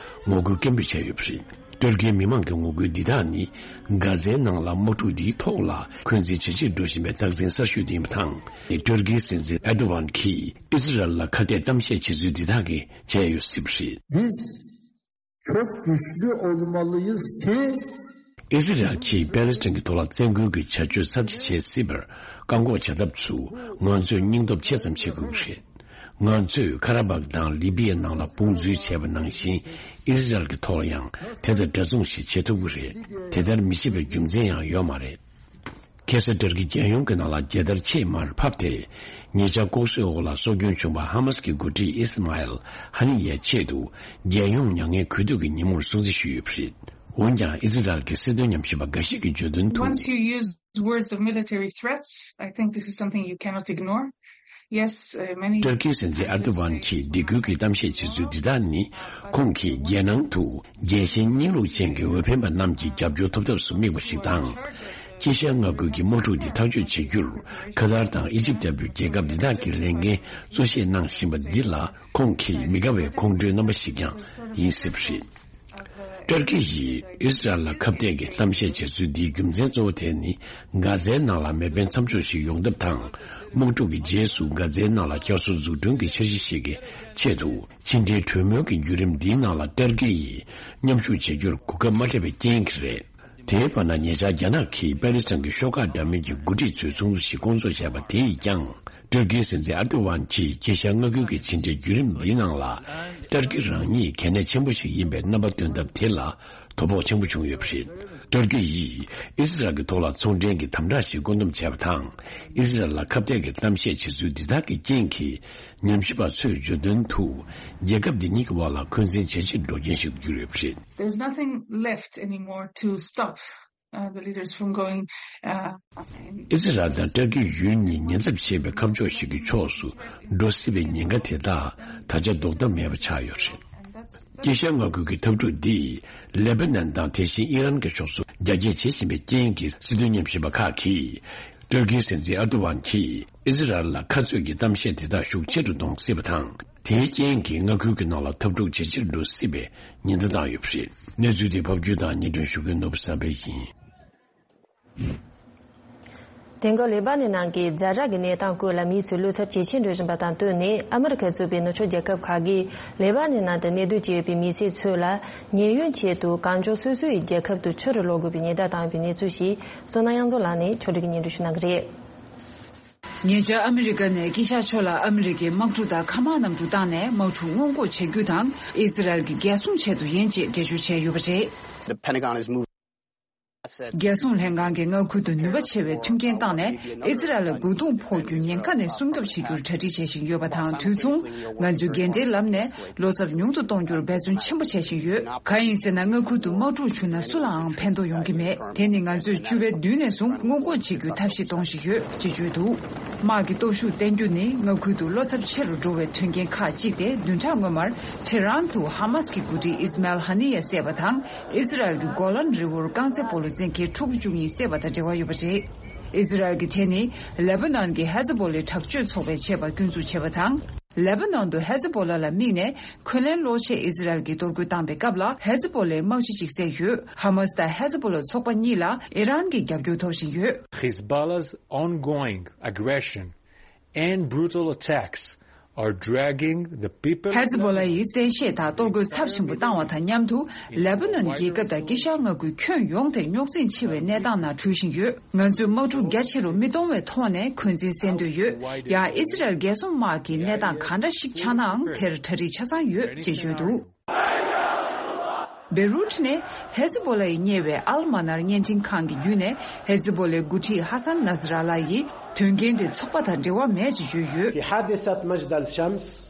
ངོ་རྒོལ་སྐད་འབོད་བྱས་ཡོད་པ་རེད། ཏུར་ཀིའི་མི་མང་གི་ངོ་རྒོལ་འདི་དག་ནི་གྷ་ཛའི་ནང་ལ་དམག་འཁྲུག་འདིའི་ཐོག་ལ་འཁོན་འཛིན་ཇེ་ཆེར་འགྲོ་བཞིན་པའི་རྟགས་མཚན་གསར་ཤོས་དེ་ཡིན་པ་དང་། ཏུར་ཀིའི་སྲིད་འཛིན་ཨེར་ཏོ་ཝན་གྱིས་ཨི་ཟི་རལ་ལ་ཁ་གཏད་གཏམ་བཤད་བྱེད་ཚུལ་འདི་དག་གིས་བྱས་ཡོད་སྲིད་པ་རེད། Biz çok güçlü olmalıyız ki ཨི་ཟི་རལ་གྱིས་པེ་ལེ་སི་ཐན་གྱི་ཐོག་ལ་བཙན་རྒོལ་གྱི་བྱ་སྤྱོད་ཚབས་ཆེ་བྱེད་སྲིད་པར་བཀག་འགོག་བྱ་ཐབས་སུ་ང་ཚོས་སྙིང་སྟོབས་ཆེ་ཙམ་བྱེད་དགོས་ཀྱི་རེད། ང་ཚོས་ཁ་ར་བག་དང་ལི་པི་ཡའི་ནང་ལ་དཔུང་འཛུལ་བྱས་པ་ནང་བཞིན་ཨི་ཟི་རལ་གྱི་ཐོག་ལ་ཡང་དེ་དང་འདྲ་མཚུངས་ཤིག་བྱེད་ཐུབ་ཀྱི་རེད། དེ་ལྟར་མི་བྱེད་པའི་རྒྱུ་མཚན་ཡང་ཡོད་མ་རེད། ཁ་སང་ཏུར་ཀི་རྒྱལ་ཡོངས་ཀྱི་ནང་ལ་རྒྱལ་དར་ཆེས་མར་ཕབ་སྟེ། ཉེ་ཆར་ལྐོག་གསོད་འོག་ལ་སྲོག་སྐྱོན་བྱུང་བ་ཧ་མ་སི་ཀྱི་འགོ་ཁྲིད་ཨི་སི་མ་ཨེལ་ཧ་ནི་ཡའི་ཆེད་དུ་རྒྱལ་ཡོངས་མྱ་ངན་གུས་འདུད་ཀྱི་ཉིན་མོར་སྲུང་བརྩི་ཞུས་ཡོད་པ་རེད། འོན་ཀྱང་ཨི་ཟི་རལ་གྱི་སྲིད་དོན་ཉམས་ཞིབ་པ་འགའ་ཞིག་གིས་བརྗོད་དོན་དུ། Once you use words of military threats, I think this is something you cannot ignore. Yes, uh, many ཏུར་ཀིའི་སྲིད་འཛིན་ཨར་ཏོ་ཝན་གྱིས་སྡིགས་སྐུལ་གྱི་གཏམ་བཤད་བྱེད་ཚུལ་འདི་དག་ནི། ཁོང་གིས་རྒྱལ་ནང་དུ་རྒྱལ་ཞེན་གཉིས་ལུགས་ཅན་གྱི་འོས་འཕེན་པ་རྣམས་ཀྱི་རྒྱབ་སྐྱོར་ཐོབ་ཐབས་སུ་དམིགས་པ་ཞིག་དང་། དཀྱིལ་ཤར་མངའ་ཁུལ་གྱི་དམག་འཁྲུག་འདི་ཐག་གཅོད་བྱེད་རྒྱུར་ཁ་ཏར་དང་ཨི་ཇིབ་ལྟ་བུའི་རྒྱལ་ཁབ་འདི་དག་གིས་ལས་འགན་གཙོ་ཆེ་གནང་བཞིན་པ་འདི་ལ་ཁོང་གི་མི་དགའ་བའི་ཁོང་ཁྲོའི་རྣམ་པ་ཞིག་ཀྱང་ཡིན་སྲིད་པ་རེད། ཏུར་ཀི་ཡིས་ཨི་སི་རལ་ལ་ཁ་གཏད་ཀྱི་གཏམ་བཤད་བྱེད་ཚུལ་འདིའི་རྒྱུ་མཚན་གཙོ་བོ་དེ་ནི། གྷ་ཛའི་ནང་ལ་མེ་འཕེན་མཚམས་འཇོག་ཞིག་ཡོང་ཐབས་དང་། དམག་འཁྲུག་གི་རྗེས་སུ་གྷ་ཛའི་ནང་ལ་བསྐྱར་གསོ་འཛུགས་སྐྲུན་གྱི་འཆར་གཞི་ཞིག་གི་ཆེད་དུ། ཕྱི་འབྲེལ་གྲོས་མོལ་གྱི་བརྒྱུད་རིམ་འདིའི་ནང་ལ་ཏུར་ཀི་ཡིས་མཉམ་ཞུགས་བྱེད་རྒྱུར་གོ་སྐབས་མ་སྤྲད་པའི་རྐྱེན་གྱིས་རེད། དེའི་བར་ན་ཉེ་ཆར་རྒྱ་ནག་གིས་པེ་ལི་སི་ཐན་གྱི་ཤོག་ཁག་འདྲ་མིན་གྱི་འགོ་ཁྲིད་ཚོའི་ཚོགས་འདུ་ཞིག་སྐོང་ཚོགས་བྱས་པ་དེ་ཡིས་ཀྱང་། ཏུར་ཀིའི་སྲིད་འཛིན་ཨར་ཏོ་ཝན་གྱིས་དཀྱིལ་ཤར་མངའ་ཁུལ་གྱི་ཕྱི་འབྲེལ་བརྒྱུད་རིམ་འདིའི་ནང་ལ། ཏུར་ཀི་རང་ཉིད་གལ་གནད་ཆེན་པོ་ཞིག་ཡིན་པའི་རྣམ་པ་སྟོན་ཐབས་དེ་ལ་དོ་ཕོག་ཆེན་པོ་བྱུང་ཡོད་པ་རེད། ཏུར་ཀི་ཡིས་ཨི་སི་རལ་གྱི་ཐོག་ལ་ཚོང་འབྲེལ་གྱི་དམ་དྲག་ཞིག་བཀོད་འདོམས་བྱས་པ་དང་། ཨི་སི་རལ་ལ་ཁ་གཏད་ཀྱི་གཏམ་བཤད་བྱེད་ཚུལ་འདི་དག་གི་རྐྱེན་གྱིས། ཉམས་ཞིབ་པ་ཚོས་བརྗོད་དོན་དུ། རྒྱལ་ཁབ་འདི་གཉིས་ཀྱི་དབར་ལ་འཁོན་འཛིན་ཇེ་ཆེར་འགྲོ་རྐྱེན་ཞིག་ཏུ་གྱུར་ཡོད་པ་རེད། There's nothing left anymore to stop, uh, the leaders from going, uh, in ཨི་སི་རལ་དང་ཏུར་ཀི་ཡུལ་གཉིས་ཉེ་འདབས་ཞེས་པའི་ཁ་ཕྱོགས་ཤིག་གི་ཕྱོགས་སུ་འགྲོ་སྲིད་པའི་ཉེན་ཁ་དེ་དག་ད་ཆ་ཟློག་ཐབས་མེད་པ་ཆགས་ཡོད་རེད། དཀྱིལ་ཤར་མངའ་ཁུལ་གྱི་འཐབ་འཁྲུག་འདིས་ལེ་པ་ནན་དང་དེ་བཞིན་ཨི་རན་གྱི་ཕྱོགས་སུ་རྒྱ་སྐྱེད་བྱེད་བཞིན་པའི་རྐྱེན་གྱིས། སྲིད་དོན་ཉམས་ཞིབ་པ་ཁག་གིས་ཏུར་ཀིའི་སྲིད་འཛིན་ཨར་ཏོ་ཝན་གྱིས་ཨི་སི་རལ་ལ་ཁ་རྩོད་ཀྱི་གཏམ་བཤད་དེ་དག་ཤུགས་ཆེ་རུ་གཏོང་སྲིད་པ་དང་། དེའི་རྐྱེན་གྱིས་མངའ་ཁུལ་གྱི་ནང་ལ་འཐབ་འཁྲུག་ཇེ་ཆེར་འགྲོ་སྲིད་པའི་ཉེན་བརྡ་བཏང་ཡོད་པ་རེད། གནས་ཚུལ་དེ་ཕབ་སྒྱུར་དང་སྙན་སྒྲོན་ཞུ་མཁན་ནོར་བུ་བསམ་འཕེལ་ཡིན། དེང་སྐབས་ལེ་པ་ནན་ནང་གི་ཛ་དྲག་གི་གནས་སྟངས་སྐོར་ལ་མིའི་ཚོས་བློ་འཚབ་ཇེ་ཆེར་འགྲོ་བཞིན་པ་དང་བསྟུན་ནས། ཨ་མི་རི་ཁ་གཙོས་པའི་ནུབ་ཕྱོགས་རྒྱལ་ཁབ་ཁག་གིས་ལེ་པ་ནན་ནང་དུ་གནས་སྡོད་བྱས་ཡོད་པའི་མི་སེར་ཚོ་ལ་ཉེན་གཡོལ་ཆེད་དུ་གང་མགྱོགས་སོ་སོའི་རྒྱལ་ཁབ་ཏུ་ཕྱིར་ལོག་དགོས་པའི་ཉེན་བརྡ་བཏང་ཡོད་པའི་གནས་ཚུལ་ཞིག་བསོད་ནམས་དབྱངས་འཛོམས་ལགས་ནས་ཕྱོགས་སྒྲིག་གིས་སྙན་སྒྲོན་ཞུ་གནང་གི་རེད། ཉེ་ཆར་ཨ་མི་རི་ཀ་ནས་དཀྱིལ་ཤར་ཕྱོགས་ལ་ཨ་མི་རི་ཀའི་དམག་འཁྲུག་དང་མཁའ་དམག་གནམ་གྲུ་བཏང་ནས་དམག་འཁྲུག་སྔོན་འགོག་བྱེད་རྒྱུ་དང་། ཨི་ཟི་རལ་གྱི་རྒྱལ་སྲུང་ཆེད་དུ་ཡིན་ཅེས་འགྲེལ་བརྗོད་བྱས་ཡོད་པ་རེད། The Pentagon is moving. རྒྱལ་སྲུང་ལྷན་ཁང་གིས་མངའ་ཁུལ་དུ་ནུས་པ་ཆེ་བའི་མཐུན་རྐྱེན་བཏང་ནས། ཨི་ཟི་རལ་ལ་རྒོལ་རྡུང་ཕོག་རྒྱུའི་ཉེན་ཁ་ནས་སྲུང་སྐྱོབ་བྱེད་རྒྱུར་གྲ་སྒྲིག་བྱེད་བཞིན་ཡོད་པ་དང་དུས་མཚུངས། ང་ཚོས་འགན་འཁྲིའི་ལམ་ནས་བློ་འཚབ་ཉུང་དུ་གཏོང་རྒྱུར་འབད་བརྩོན་ཆེན་པོ་བྱེད་བཞིན་ཡོད། གང་ཡིན་ཟེར་ན། མངའ་ཁུལ་དུ་དམག་འཁྲུག་བྱུང་ན་སུ་ལའང་ཕན་ཐོགས་ཡོང་གི་མེད། དེ་ནི་ང་ཚོས་བཅུ་པའི་མདུན་ནས་བཟུང་སྔོན་འགོག་བྱེད་རྒྱུའི་ཐབས་ཤེས་གཏོང་བཞིན་ཡོད་ཅེས་བརྗོད་འདུག། དམག་གི་སྟོབས་ཤུགས་བརྟན་རྒྱུ་ནི་མངའ་ཁུལ་དུ་བློ་འཚབ་ཆེ་རུ་འགྲོ་བའི་དོན་རྐྱེན་ཁག་ཅིག་སྟེ། བདུན་ཕྲག་སྔོན་མར་ཐེ་རན་དུ་ཧ་མཱས་ཀྱི་འགོ་ཁྲིད་ཨིས་མཱ་ཨེལ་ཧ་ནི་ཡ་བསད་པ་དང་། ཨི་ཟི་རལ་གྱི་གོ་ལན་རི་བོར་རྐང་རྩེད་སྤོ་ལོ་འཛིན་མཁན་ཕྲུ་གུ་བཅུ་གཉིས་བསད་པ་དང་འབྲེལ་བ་ཡོད་པ་རེད། ཨི་ཟི་རལ་གྱིས་དེ་ནི་ལེ་པ་ནན་གྱི་ཧེ་ཛི་བྷོ་ལའི་དྲག་སྤྱོད་ཚོགས་པས་བྱས་པར་སྐྱོན་འཛུགས་བྱས་པ་དང་། ལེ་པ་ནན་དུ་ཧེ་ཛི་བྷོ་ལ་ལ་དམིགས་ནས་འཁོན་ལན་སློག་ཆེད་ཨི་ཟི་རལ་གྱིས་གཏོར་རྒོལ་བཏང་པའི་སྐབས་ལ། ཧེ་ཛི་བྷོ་ལའི་དམག་སྤྱི་གཅིག་བསད་ཡོད། ཧ་མཱས་དང་ཧེ་ཛི་བྷོ་ལ་ཚོགས་པ་གཉིས་ལ་ཨི་རན་གྱི་རྒྱབ་སྐྱོར་ཐོབ་བཞིན་ཡོད། Hezbollah's ongoing aggression and brutal attacks are dragging the people. ཧེ་ཛི་བྷོ་ལ་ཡིས་བཙན་ཤེད་དང་གཏོར་རྒོལ་ཚབས་ཆེན་པོ་བཏང་བ་དང་མཉམ་དུ། ལེ་པ་ནན་རྒྱལ་ཁབ་དང་དཀྱིལ་ཤར་མངའ་ཁུལ་ཁྱོན་ཡོངས་དེ་རྙོག་འཛིང་ཆེ་བའི་གནས་སྟངས་ནང་གྲོལ་བཞིན་ཡོད། ང་ཚོས་དམག་འཁྲུག་རྒྱ་ཆེ་རུ་མི་གཏོང་བའི་ཐོག་ནས་འཁོན་འཛིན་སེལ་འདོད་ཡོད། ཡང་ཨི་ཟི་རལ་རྒྱལ་སྲུང་དམག་གིས་གནས་སྟངས་ག་འདྲ་ཞིག་ཆགས་ནའང་དེར་གྲ་སྒྲིག་ཆ་ཚང་ཡོད་ཅེས་བརྗོད་འདུག། བེ་རུད་ནས་ཧེ་ཛི་བྷོ་ལ་ཡིས་གཉེར་བའི་ཨལ་མ་ནར་བརྙན་འཕྲིན་ཁང་གི་བརྒྱུད་ནས། ཧེ་ཛི་བྷོ་ལའི་འགོ་ཁྲིད་ཧ་སན་ནཱ་སི་ར་ལ་ཡིས་དོན་རྐྱེན་དེ་ཚོགས་པ་དང་འབྲེལ་བ་མེད་ཅེས་བརྗོད་ཡོད། في حادثة مجدل شمس.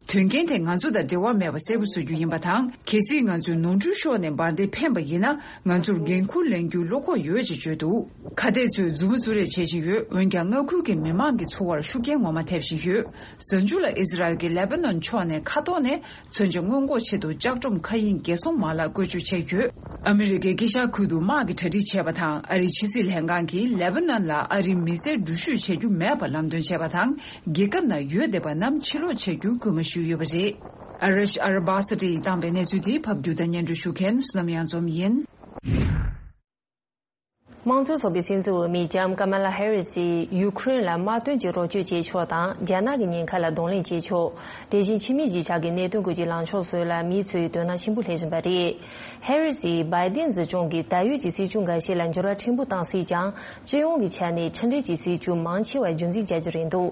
དོན་རྐྱེན་དེ་ང་ཚོ་དང་འབྲེལ་བ་མེད་པ་གསལ་པོ་བཟོ་རྒྱུ་ཡིན་པ་དང་། གལ་སྲིད་ང་ཚོས་ནོར་འཁྲུལ་ཤོར་ནས་འབར་མདེལ་འཕེན་པ་ཡིན་ན། ང་ཚོར་འགན་འཁུར་ལེན་རྒྱུའི་བློ་ཁོག་ཡོད་ཅེས་བརྗོད་འདུག། ཁ་གཏད་ཚོས་མཛུབ་མོ་བཙུགས་རེས་བྱེད་བཞིན་ཡོད། འོན་ཀྱང་། མངའ་ཁུལ་གྱི་མི་མང་གི་འཚོ་བར་ཤུགས་རྐྱེན་ངོ་མ་ཐེབས་བཞིན་ཡོད། གཟའ་མཇུག་ལ་ཨི་ཟི་རལ་གྱིས་ལེ་པ་ནན་ཕྱོགས་ནས་མཁའ་ཐོག་ནས་མཚོན་ཆ་སྔོན་འགོག་ཆེད་དུ་ལྕགས་སྒྲོམ་མཁའ་དབྱིངས་རྒྱལ་སྲུང་མ་ལག་བཀོལ་སྤྱོད་བྱས་ཡོད། ཨ་མི་རི་ཀས་དཀྱིལ་ཤར་ཁུལ་དུ་དམག་གི་གྲ་སྒྲིག་བྱས་པ་དང་། ཨ་རིའི་ཕྱི་སྲིད་ལྷན་ཁང་གིས་ལེ་པ་ནན་ལ་ཨ་རིའི་མི་སེར་འགྲུལ་བཞུད་བྱེད་རྒྱུ་མེད་པར་ལམ་སྟོན་བྱས་པ་དང་། རྒྱལ་ཁབ་ནང་ཡོད་བསྡད་པ་རྣམས་ཕྱིར་ལོག་བྱ་རྒྱུའི་སྐུལ་མ་ཞུས་ཡོད་པ་རེད། ཨ་རིཤ་ཨར་བྷ་སི་ཏི་ཡིས་བཏང་པའི་གནས་ཚུལ་དེ་ཕབ་སྒྱུར་དང་སྙན་སྒྲོན་ཞུ་མཁན་བསོད་ནམས་དབྱངས་འཛོམས་ཡིན། དམངས་གཙོའི་ཚོགས་པའི་སྲིད་འཛིན་འོས་མི་ལྕམ་ཀ་མ་ལ་ཧེ་རི་སིས་ཡུ་ཁུ་རེན་ལ་དམག་དོན་གྱི་རོགས་སྐྱོར་བྱེད་ཕྱོགས་དང་། རྒྱ་ནག་གི་ཉེན་ཁ་ལ་གདོང་ལེན་བྱེད་ཕྱོགས། དེ་བཞིན་ཕྱི་མིའི་གཞིས་ཆགས་ཀྱི་གནད་དོན་སྐོར་གྱི་ལངས་ཕྱོགས་སོགས་ལ་མིའི་ཚོས་དོ་སྣང་ཆེན་པོ་སླེབས་བཞིན་པ་རེད། ཧེ་རི་སིས་བྷའི་ཏིན་སྲིད་སྐྱོང་གིས་ད་ཡོད་ཀྱི་སྲིད་ཇུས་འགའ་ཤས་ལ་འགྱུར་བ་ཕྲན་བུ་བཏང་སྲིད་ཀྱང་། སྤྱི་ཡོངས་ཀྱི་ཆ་ནས་ཁྲིམས་འགལ་གྱི་སྲིད་ཇུས་མང་ཆེ་བ་རྒྱུན་འཛིན་བྱ་རྒྱུ་རེད་འདུག།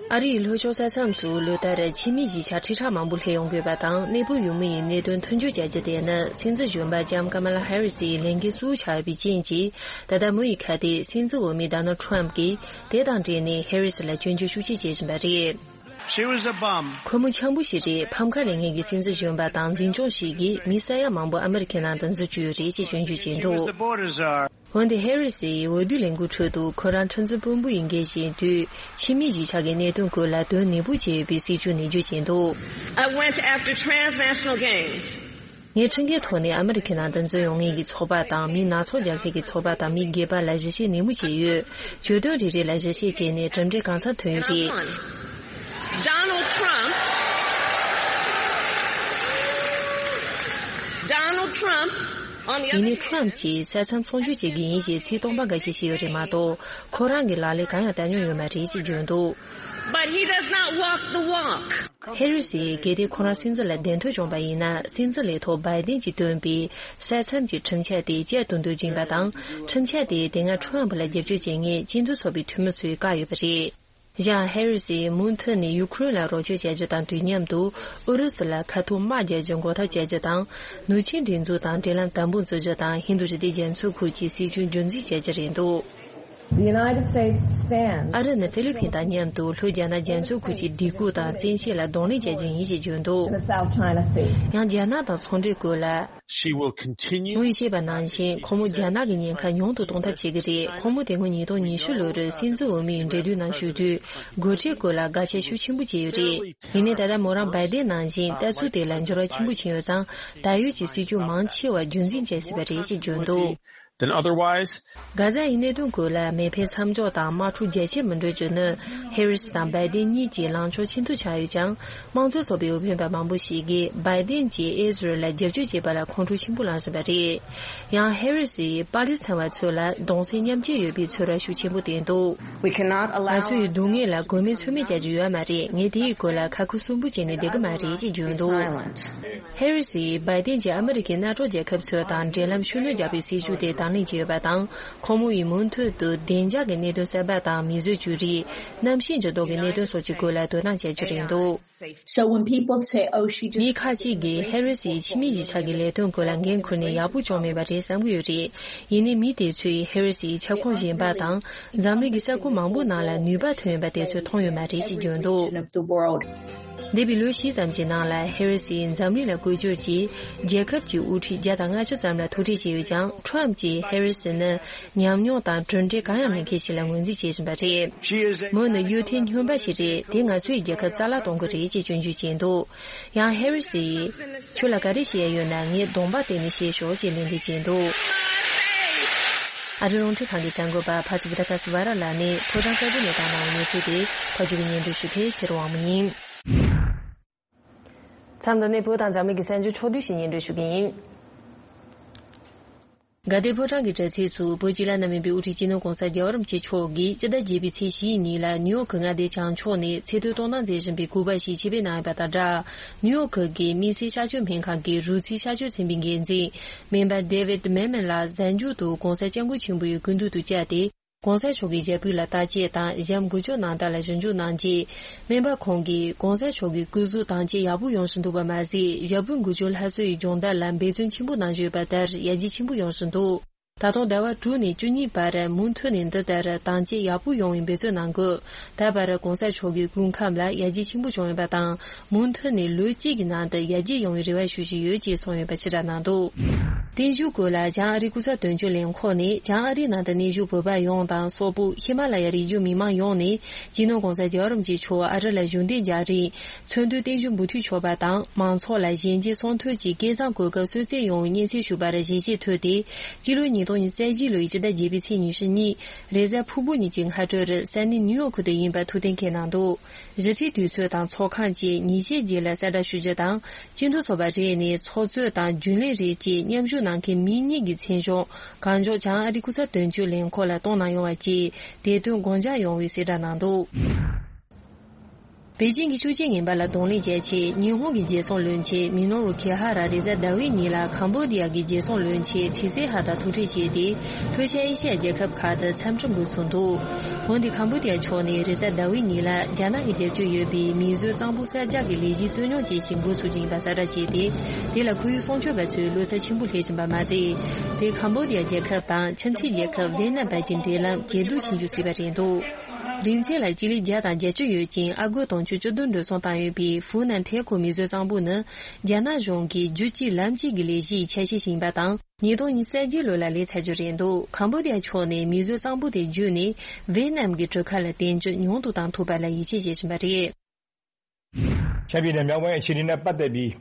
ཨ་རིའི་ལྷོ་ཕྱོགས་ས་མཚམས་སུ་ལོ་ལྟར་ཕྱི་མིའི་གཞིས་ཆགས་ཁྲི་ཕྲག་མང་པོ་སླེབས་ཡོང་དགོས་པ་དང་། གནས་སྤོ་ཡུལ་མི་ཡི་གནད་དོན་མཐུན་སྦྱོར་བྱ་རྒྱུ་དེ་ནི་སྲིད་འཛིན་གཞོན་པ་ལྕམ་ཀ་མ་ལ་ཧེ་རི་སིའི་ལས་འགན་གཙོ་བོ་ཆགས་ཡོད་པའི་རྐྱེན་གྱིས། ད་ལྟ་མུ་ཡི་ཁ་གཏད་སྲིད་འཛིན་འོས་མི་ཌོ་ནལ་ཁྲམ་གྱིས་དེ་དང་འབྲེལ་ནས་ཧེ་རི་སི་ལ་སྐྱོན་བརྗོད་ཤུགས་ཆེ་བྱེད་བཞིན་པ་རེད། She was a bum. ཁོ་མོ་འཁྱམ་པོ་ཞིག་རེད། ཕམ་ཁ་ལེན་མཁན་གྱི་སྲིད་འཛིན་གཞོན་པ་དང་འཛིན་སྐྱོང་ཞིག་གིས་མི་ས་ཡ་མང་པོ་ཨ་མི་རི་ཀའི་ནང་དུ་འཛུལ་བཅུག་ཡོད་རེད་ཅེས་སྐྱོན་བརྗོད་བྱས་འདུག། She was the border czar. འོན་ཏེ་ཧེ་རི་སིའི་འོས་བསྡུ་ལས་འགུལ་ཁྲོད་དུ་ཁོ་རང་ཁྲིམས་འཛིན་དཔོན་པོ་ཡིན་མཁན་ཞིག་དུས། ཕྱི་མིའི་གཞིས་ཆགས་ཀྱི་གནད་དོན་སྐོར་ལ་དོན་ནན་པོ་བྱས་ཡོད་པའི་སྲིད་ཇུས་ནས་བརྗོད་བཞིན་འདུག། I went after transnational gangs. ངས་ཁྲིམས་འགལ་ཐོག་ནས་ཨ་མི་རི་ཁའི་ནང་དུ་འཛུལ་ཡོང་མཁན་གྱི་ཚོགས་པ་དང་། མི་སྣ་ཚོགས་རྒྱག་མཁན་གྱི་ཚོགས་པ་དང་མི་སྒེར་པ་ལ་ཞིབ་བཤེར་ནན་མོ་བྱས་ཡོད། གྱོད་དོན་རེ་རེ་ལ་ཞིབ་བཤེར་བྱས་ནས་གྲུབ་འབྲས་གང་འཚམ་ཐོན་ཡོད་རེད། Donald Trump. Donald Trump. ཡིན་ནའི་ཁྲོམ་གྱིས་ས་མཚམས་ཚོང་སྒྱུར་བྱེད་ཀྱི་ཡིན་ཞེས་ཚིག་སྟོང་པ་འགའ་ཞིག་བཤད་ཡོད་རེད་མ་གཏོགས། ཁོ་རང་གི་ལག་ལེན་གང་ཡང་བསྟར་མྱོང་ཡོད་མ་རེད་ཅེས་བརྗོད་འདུག། But he does not walk the walk. ཧེ་རི་སིས་གལ་ཏེ་ཁོ་རང་སྲིད་འཛིན་ལ་གདན་ཐོབ་བྱུང་བ་ཡིན་ན། སྲིད་འཛིན་ལས་ཐོག་བྷའི་ཏིན་གྱིས་བཏོན་པའི་ས་མཚམས་ཀྱི་ཁྲིམས་འཆར་དེ་བསྐྱར་དུ་མདོར་བསྡུས་པ་དང་། ཁྲིམས་འཆར་དེ་དེ་སྔ་ཁྲོམ་ལ་རྒྱབ་སྐྱོར་བྱེད་མཁན་སྤྱི་མཐུན་ཚོགས་པའི་འཐུས་མི་ཚོས་བཀག་ཡོད་པ་རེད། ཡང་ཧེ་རི་སིས་མུ་མཐུད་ནས་ཡུ་ཁུ་རེན་ལ་རོགས་སྐྱོར་བྱ་རྒྱུ་དང་དུས་མཉམ་དུ། ཨུ་རུ་སུ་ལ་ཁ་ཐུག་དམག་རྒྱག་རྒྱུ་འགོག་ཐབས་བྱ་རྒྱུ་དང་། ནུབ་ཆིངས་སྒྲིག་འཛུགས་དང་འབྲེལ་ལམ་དམ་པོ་འཛུགས་རྒྱུ་དང་། ཧིན་རྡུ་རི་ལྡེ་རྒྱ་མཚོའི་ཁུལ་གྱི་སྲིད་བྱུས་རྒྱུན་འཛིན་བྱ་རྒྱུ་རེད་འདུག། The United States stands. ཨ་རི་ནི་ཧྥི་ལི་ཕིན་དང་མཉམ་དུ་ལྷོ་རྒྱ་ནག་རྒྱ་མཚོའི་ཁུལ་གྱི་སྡིགས་སྐུལ་དང་བཙན་ཤེད་ལ་གདོང་ལེན་བྱ་རྒྱུ་ཡིན་ཞེས་བརྗོད་འདུག། In the South China Sea. ཡང་རྒྱ་ནག་དང་ཚོང་འབྲེལ་སྐོར་ལ། She will continue. མུ་ཡིས་བཤད་པ་ནང་བཞིན། ཁོ་མོ་རྒྱ་ནག་གི་ཉེན་ཁ་ཉུང་དུ་གཏོང་ཐབས་བྱེད་ཀྱི་རེད། ཁོ་མོ་དེ་སྔོན་ཉིས་སྟོང་ཉི་ཤུ་ལོར་སྲིད་འཛིན་འོས་མིའི་འབྲེལ་མཐུད་ནང་ཞུགས་དུས། སྒོ་ཁྲལ་སྐོར་ལ་དགག་བྱ་ཤུགས་ཆེན་པོ་བྱས་ཡོད་རེད། ཡིན་ནའི་ད་ལྟ་མོ་རང་བྷའི་ཏིན་ནང་བཞིན་ལྟ་ཚུལ་དེ་ལ་འགྱུར་བ་ཆེན་པོ་ཕྱིན་ཡོད་ཙང་། ད་ཡོད་ཀྱི་སྲིད་ཇུས་མང་ཆེ་བ་རྒྱུན་འཛིན་བྱེད་སྲིད་པ་རེད་ཅེས་བརྗོད་འདུག། Then otherwise, གྷ་ཛ་ཡི་གནད་དོན་སྐོར་ལ་མེ་འཕེན་མཚམས་འཇོག་དང་དམག་འཁྲུག་རྒྱ་ཆེར་མི་འགྲོ་རྒྱུ་ནི་ཧེ་རི་སི་དང་བའི་ཏིན་གཉིས་ཀྱི་ལངས་ཕྱོགས་ཆེན་པོ་ཆགས་ཡོད་ཀྱང་། དམངས་གཙོ་ཚོགས་པའི་འོས་འཕེན་པ་མང་པོ་ཞིག་གིས་བའི་ཏིན་གྱིས་ཨི་ཟི་རལ་ལ་རྒྱབ་སྐྱོར་བྱེད་པ་ལ་ཁོང་ཁྲོ་ཆེན་པོ་ལངས་བཞིན་པ་རེད། ཡང་ཧེ་རི་སིས་པ་ལི་སི་ཐན་བ་ཚོ་ལ་གདུང་སེམས་མཉམ་སྐྱེད་ཡོད་པའི་ཚོར་བ་ཤུགས་ཆེན་པོ་བསྟན་འདུག We cannot allow ང་ཚོའི་སྡུག་བསྔལ་ལ་མགོ་མེད་མཚོན་མེད་བྱ་རྒྱུ་ཡོད་མ་རེད། ངས་དེའི་སྐོར་ལ་ཁ་ཁུ་སིམ་པོ་བྱས་ནས་བསྡད་ཀྱི་མ་རེད་ཅེས་བརྗོད་འདུག Silent. ཧེ་རི་སིས་བའི་ཏིན་གྱིས་ཨ་མི་རི་ཀའི་མནའ་གྲོགས་རྒྱལ་ཁབ་ཚོ་དང་འབྲེལ་ལམ་ཤུགས་སྣོན་རྒྱག་པའི་སྲིད་ཇུས་དེ་དང་ལེན་བྱས་ཡོད་པ་དང་། ཁོང་མོ་ཡིས་མུ་མཐུད་དུ་བདེ་འཇགས་ཀྱི་གནད་དོན་གསར་པ་དང་མིས་བཟོས་བཅོས་སྒྲིག་གནམ་གཤིས་འགྱུར་ལྡོག་གི་གནད་དོན་སོགས་ཀྱི་སྐོར་ལ་དོ་སྣང་བྱ་རྒྱུ་རེད་འདུག So when people say, "Oh, she just" མི་ཁ་ཅིག་གིས་ཧེ་རི་སིས་ཕྱི་མི་གཞིས་ཆགས་ཀྱི་ལས་དོན་སྐོར་ལ་འགན་འཁུར་ནས་ཡག་པོ་བྱུང་མེད་པ་རེད་བསམ་གྱི་ཡོད་རེད། ཡིན་ནའི་མི་དེ་ཚོས་ཧེ་རི་སིའི་ཁྱབ་ཁོངས་གཞན་པ་དང་འཛམ་གླིང་གི་ས་ཁུལ་མང་པོ་ནང་ལ་ནུས་པ་ཐོན་ཡོད་པ་དེ་ཚོས་མཐོང་ཡོད་མ་རེད་ཅེས་བརྗོད་འདུག་འདས་པའི་ལོ་བཞི་ཙམ་གྱི་ནང་ལ་ཧེ་རི་སིས་འཛམ་གླིང་ལ་བཀོལ་སྤྱོད་ཀྱིས་རྒྱལ་ཁབ་ཀྱི་དབུ་ཁྲིད་བརྒྱ་དང་ལྔ་བཅུ་ཙམ་ལ་ཐུག་འཕྲད་བྱས་ཡོད་ཀྱང་། ཁྲོམ་གྱིས་ཧེ་རི་སི་ནི་ཉམས་མྱོང་དང་གྲུབ་འབྲས་གང་ཡང་མེད་མཁན་ཞིག་ལ་ངོས་འཛིན་བྱེད་བཞིན་པ་རེད། མོ་ནི་གཡོ་ཐལ་སྨྱོན་པ་ཞིག་རེད། དེས་ང་ཚོའི་རྒྱལ་ཁབ་རྩ་བརླག་གཏོང་གི་རེད་ཅེས་སྐྱོན་བརྗོད་བྱས་འདུག་ཡང་ཧེ་རི་སིས་ཁྱོད་ལ་ག་རེ་བཤད་ཡ་ཡོད་ན་ངའི་གདོང་པ་བལྟས་ནས་བཤད་ཤོག་ཅེས་ལན་འདེབས་བྱས་འདུག་ཨ་རི་རླུང་འཕྲིན་ཁང་གི་གསར་འགོད་པ་ཕ་སི་བི་ཏ་ཀ་སི་ཝ་ར་ལགས་ནས་ཕོ་བྲང་དཀར་པོ་ནས་བཏང་གནང་བའི་གནས་ཚུལ་དེ་ཕབ་སྒྱུར་གྱིས་སྙན་སྒྲོན་ཞུ་མཁན་ཚེ་རིང་དབང་མོ་ཡིན། མཚམས་འདི་ནས་བོད་དང་འཛམ་གླིང་གི་གསར་འགྱུར་ཕྱོགས་བསྡུས་ཤིག་སྙན་སྒྲོན་ཞུ་གི་ཡིན། དགའ་ལྡན་ཕོ་བྲང་གི་དྲ་ཚིགས་སུ་བོད་སྤྱི་བླ་ན་མེད་པའི་དབུ་ཁྲིད་སྤྱི་ནོར་༸གོང་ས་༸རྒྱལ་བ་རིན་པོ་ཆེ་མཆོག་གིས་སྤྱི་ཟླ་བརྒྱད་པའི་ཚེས་བཞིའི་ཉིན་ལ་ནིའུ་ཡོག་གི་མངའ་སྡེ་བྱང་ཕྱོགས་ནས་ཚེ་ཐར་གཏོང་གནང་མཛད་བཞིན་པའི་སྐུ་པར་ཞིག་ཆེད་ཕེབས་གནང་ཡོད་པ་དང་སྦྲགས། ནིའུ་ཡོག་གི་དམིགས་བསལ་གཤགས་བཅོས་སྨན་ཁང་གི་རུས་ཚིགས་གཤགས་བཅོས་ཚན་པའི་འགན་འཛིན་སྨན་པ་David Mamet ལགས་གཟའ་མཇུག་ཏུ་༸གོང་ས་༸སྐྱབས་མགོན་ཆེན་པོ་ཡི་སྐུ་མདུན་དུ་བཅར་ཏེ། ༸གོང་ས་མཆོག་གི་ཞབས་པུས་ལ་བརྟག་དཔྱད་དང་ཞབས་འགུལ་སྐྱོད་གནང་སྟངས་ལ་ཞིབ་འཇུག་གནང་རྗེས། སྨན་པ་ཁོང་གིས་༸གོང་ས་མཆོག་གི་སྐུ་གཟུགས་དྭངས་གཅིག་ཡག་པོ་ཡོང་བཞིན་འདུག་པ་མ་ཟད། ཞབས་པུས་འགུལ་སྐྱོད་སླར་གསོ་ཡི་སྦྱོང་བརྡར་ལ་འབད་བརྩོན་ཆེན་པོ་གནང་བཞིན་ཡོད་པ་ལྟར་ཡར་རྒྱས་ཆེན་པོ་ཡོང་བཞིན་འདུག་ད་དུང་ཟླ་བ་དྲུག་ནས་བཅུ་གཉིས་བར་མུ་མཐུད་ནས་འདི་ལྟར་དྭངས་གཅིག་ཡག་པོ་ཡོང་བའི་འབད་བརྩོན་གནང་དགོས། ད་བར་༸གོང་ས་མཆོག་གི་སྐུ་ཁམས་ལ་ཡར་རྒྱས་ཆེན་པོ་བྱུང་ཡོད་པ་དང་། མུ་མཐུད་ནས་ལོ་གཅིག་གི་ནང་དུ་ཡར་རྒྱས་ཡོང་བའི་རེ་བ་ཞུ་བཞིན་ཡོད་ཅེས་གསུངས་ཡོད་པ་ཕྱིར་བསྒྲགས་གནང་འདུག་བརྟན་བཞུགས་སྐོར་ལ་བྱང་ཨ་རིའི་སྐུ་ཚབ་དོན་གཅོད་ལས་ཁུངས་ནས་བྱང་ཨ་རིའི་ནང་དུ་གནས་བཞུགས་བོད་པ་ཡོངས་དང་སོག་པོ་ཧི་མ་ལ་ཡ་རི་རྒྱུད་མི་མང་ཡོངས་ནས་སྤྱི་ནོར་༸གོང་ས་༸རྒྱལ་བ་རིན་པོ་ཆེ་མཆོག་ཨ་རི་ལ་བཞུགས་གདན་འཇགས་རིང་མཚོན་དོན་བརྟན་བཞུགས་འབུལ་འཐུས་ཆོག་པ་དང་། མང་ཚོགས་ལ་གཞན་གྱི་གསང་ཐོས་ཀྱི་སྐལ་བཟང་གོ་སྐབས་གསོལ་སྩལ་ཡོང་བའི་སྙན་སེང་ཞུས་པར་ཞལ་བཞེས་ཐོས་ཏེ། སྤྱི་ལོ་ཉིས་སྟོང་ཉི་ཤུ་རྩ་བཞི་ལོའི་སྤྱི་ཟླ་བརྒྱད་པའི་ཚེས་ཉི་ཤུ་གཉིས། རེས་གཟའ་ཕུར་བུ་ཉིན་གྱི་སྔ་དྲོར་ས་གནས་ནིའུ་ཡོག་ཁུལ་དུ་ཡིན་པ་ཐུགས་གཏན་འཁེལ་གནང་འདུག་གཞིས་ཁྲིའི་དུས་ཚོད་དང་ཚོགས་ཁང་བཅས་ཉིན་ཤས་རྗེས་ལ་གསལ་བསྒྲགས་ཞུ་རྒྱུ་དང་། སྤྱི་འཐུས་ཚོགས་པ་རེ་ནས་ཚོགས་གཙོ་དང་རྒྱུན་ལས་རེ་བཅས་མཉམ་ཞུགས་གནང་མཁན་མི་གཉིས་ཀྱི་མཚན་བྱང་གང་མགྱོགས་བྱང་ཨ་རིའི་སྐུ་ཚབ་དོན་གཅོད་ལས་ཁུངས་ལ་གཏོང་གནང་ཡོང་བ་བཅས་དེ་དོན་དགོངས་འཇགས་ཡོང་བའི་གསལ་བསྒྲགས་གནང་འདུག་པེ་ཅིང་གི་ཤུགས་ཆེན་ངན་པ་ལ་གདོང་ལེན་བྱེད་ཆེད་ཉི་ཧོང་གི་རྒྱལ་སྲུང་བློན་ཆེན་མི་ནོ་རུ་ཁེ་ཧ་ར་རེས་གཟའ་ཟླ་བའི་ཉིན་ལ་ཁམ་བྷོ་ཌི་ཡ་གི་རྒྱལ་སྲུང་བློན་ཆེན་ཁྲི་སེ་ཧ་དང་ཐུག་འཕྲད་བྱས་ཏེ། ལྷོ་ཤར་ཨེ་ཤི་ཡ་རྒྱལ་ཁབ་ཁག་ཏུ་འཚམས་འདྲི་འགོ་ཚུགས་འདུག་འོན་ཏེ་ཁམ་བྷོ་ཌི་ཡ་ཕྱོགས་ནས་རེས་གཟའ་ཟླ་བའི་ཉིན་ལ་རྒྱ་ནག་གི་རྒྱབ་སྐྱོར་ཡོད་པའི་མིས་བཟོས་གཙང་པོ་གསར་རྒྱག་གི་ལས་གཞི་རྩོད་རྙོག་ཅན་ཞིག་འགོ་ཚུགས་ཀྱི་ཡིན་པ་གསལ་བསྒྲགས་བྱས་ཏེ། དེ་ལ་ཁོར་ཡུག་སྲུང་སྐྱོབ་པ་ཚོས་བློ་འཚབ་ཆེན་པོ་སླེབས་བཞིན་པ་མ་ཟད། དེས་ཁམ་བྷོ་ཌི་ཡ་རྒྱལ་ཁབ་དང་ཁྱིམ་མཚེས་རྒྱལ་ཁབ་ཝེ་ནམ་བར་གྱི་འབྲེལ་ལམ་ཇེ་སྡུག་ཕྱིན་རྒྱུ་སྲིད་པ་རེད་འདུག་རིང་ཚད་ལ་སྤྱི་ལེ་བརྒྱ་དང་བརྒྱད་ཅུ་ཡོད་ཅིང་ཨ་སྒོར་དུང་ཕྱུར་བཅུ་བདུན་འགྲོ་སོང་བཏང་ཡོད་པའི་ཧྥུ་ནན་ཐེ་ཁོ་མིས་བཟོས་གཙང་པོ་ནི་རྒྱ་ནག་གཞུང་གི་རྒྱུད་གཅིག་ལམ་གཅིག་གི་ལས་གཞིའི་ཆ་ཤས་ཤིག་ཡིན་པ་དང་། ཉིས་སྟོང་ཉི་ཤུ་རྩ་བརྒྱད་ལོ་ལ་ལས་ཚར་རྒྱུ་རེད་འདུག་ཁམ་བྷོ་ཌི་ཡ་ཕྱོགས་ནས་མིས་བཟོས་གཙང་པོ་དེ་བརྒྱུད་ནས་ཝེ་ནམ་གྱི་གྲུ་ཁ་ལ་བསྟན་འཇགས་ཉུང་དུ་བཏང་ཐུབ་པ་ལ་ཡིད་ཆེས་བྱེད་བཞིན་པ་རེད། 下面的描繪其实呢，不得比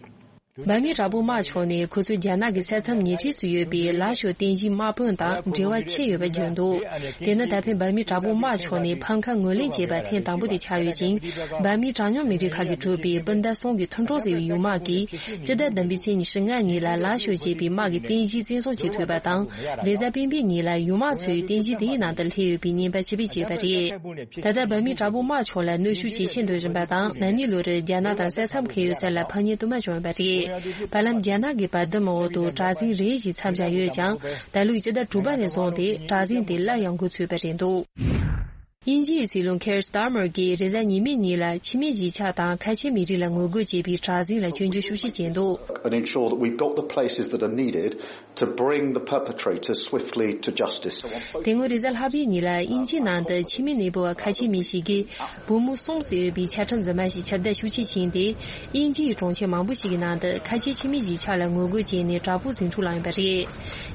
འབར་མའི་དྲག་པོ་དམག་ཕྱོགས་ནས་ཁོ་ཚོའི་རྒྱ་ནག་གི་ས་མཚམས་ཉེ་འཁྲིས་སུ་ཡོད་པའི་ལ་ཤོ་རྟེན་གཞིའི་དམག་དཔོན་དང་འབྲེལ་བ་ཆད་ཡོད་པ་བརྗོད་འདུག་དེ་ནི་ད་ཕན་འབར་མའི་དྲག་པོ་དམག་ཕྱོགས་ནས་འཕང་ཁ་ངོས་ལེན་བྱས་པ་ཐེངས་དང་པོ་དེ་ཆགས་ཡོད་ཅིང་། འབར་མའི་གྲངས་ཉུང་མི་རིགས་ཁག་གིས་གྲུབ་པའི་སྤུན་ཟླ་གསུམ་གྱི་མཐུན་གྲོགས་ཟེར་བའི་ཡུལ་དམག་གིས་སྤྱི་ཟླ་བདུན་པའི་ཚེས་ཉི་ཤུ་ལྔ་ཉིན་ལ་ལ་ཤོ་ཅེས་པའི་དམག་གི་རྟེན་གཞི་བཙན་བཟུང་བྱེད་ཐུབ་པ་དང་། རེས་གཟའ་སྤེན་པའི་ཉིན་ལ་ཡུལ་དམག་ཚོའི་རྟེན་གཞི་དེའི་ནང་དུ་སླེབས་ཡོད་པའི་བརྙན་པར་ཕྱིར་འབུད་བྱས་པ་རེད། ད་ལྟ་འབར་མའི་དྲག་པོ་དམག་ཕྱོགས་ལ་གནོན་ཤུགས་ཇེ་ཆེར་འགྲོ་བཞིན་པ་དང་། ན་ནིང་ལོར་རྒྱ་ནག་དང་ས་མཚམས་འཁེལ་ཡོད་ས་ལ་ཕམ་ཉེས་དུ་མ་བྱུང་ཡོད་པ་རེད། བར་ལམ་རྒྱ་ནག་གི་བར་འདུམ་འོག་ཏུ་གྲྭ་བཙུན་རེ་ཞིག་མཚམས་བཞག་ཡོད་ཀྱང་། ད་ལོའི་སྤྱི་ཟླ་དྲུག་པ་ནས་བཟུང་སྟེ་གྲྭ་བཙུན་དེ་སླར་ཡང་འགོ་ཚུགས་པ་རེད་འདུག་དབྱིན་ཇིའི་སྲིད་བློན་ཁེར་སི་ཏཱར་མར་གྱིས་རེས་གཟའ་ཉི་མའི་ཉིན་ལ་ཕྱི་མི་གཞིས་ཆགས་དང་ཁ་ཆེ་མི་རིགས་ལ་ངོ་རྒོལ་བྱེད་པའི་གྲྭ་བཙུན་ལ་སྐྱོན་བརྗོད་ཤུགས་ཆེ་བྱས་འདུག And ensure that we've got the places that are needed to bring the perpetrators swiftly to justice. དེ་སྔོན་རེས་གཟའ་ལྷག་པའི་ཉིན་ལ་དབྱིན་ཇིའི་ནང་དུ་ཕྱི་མི་གནས་སྤོ་བ་ཁ་ཆེ་མི་ཞིག་གིས་བུ་མོ་གསུམ་ཟེར་ཡོད་པའི་ཆ་འཕྲིན་རྫུན་མ་ཞིག་ཁྱབ་གདལ་ཤུགས་ཆེ་ཕྱིན་ཏེ། དབྱིན་ཇིའི་གྲོང་ཁྱེར་མང་པོ་ཞིག་གི་ནང་དུ་ཁ་ཆེ་ཕྱི་མི་གཞིས་ཆགས་ལ་ངོ་རྒོལ་བྱས་ནས་དྲག་པོའི་ཟིང་འཁྲུག་བསླངས་ཡོད་པ་རེད།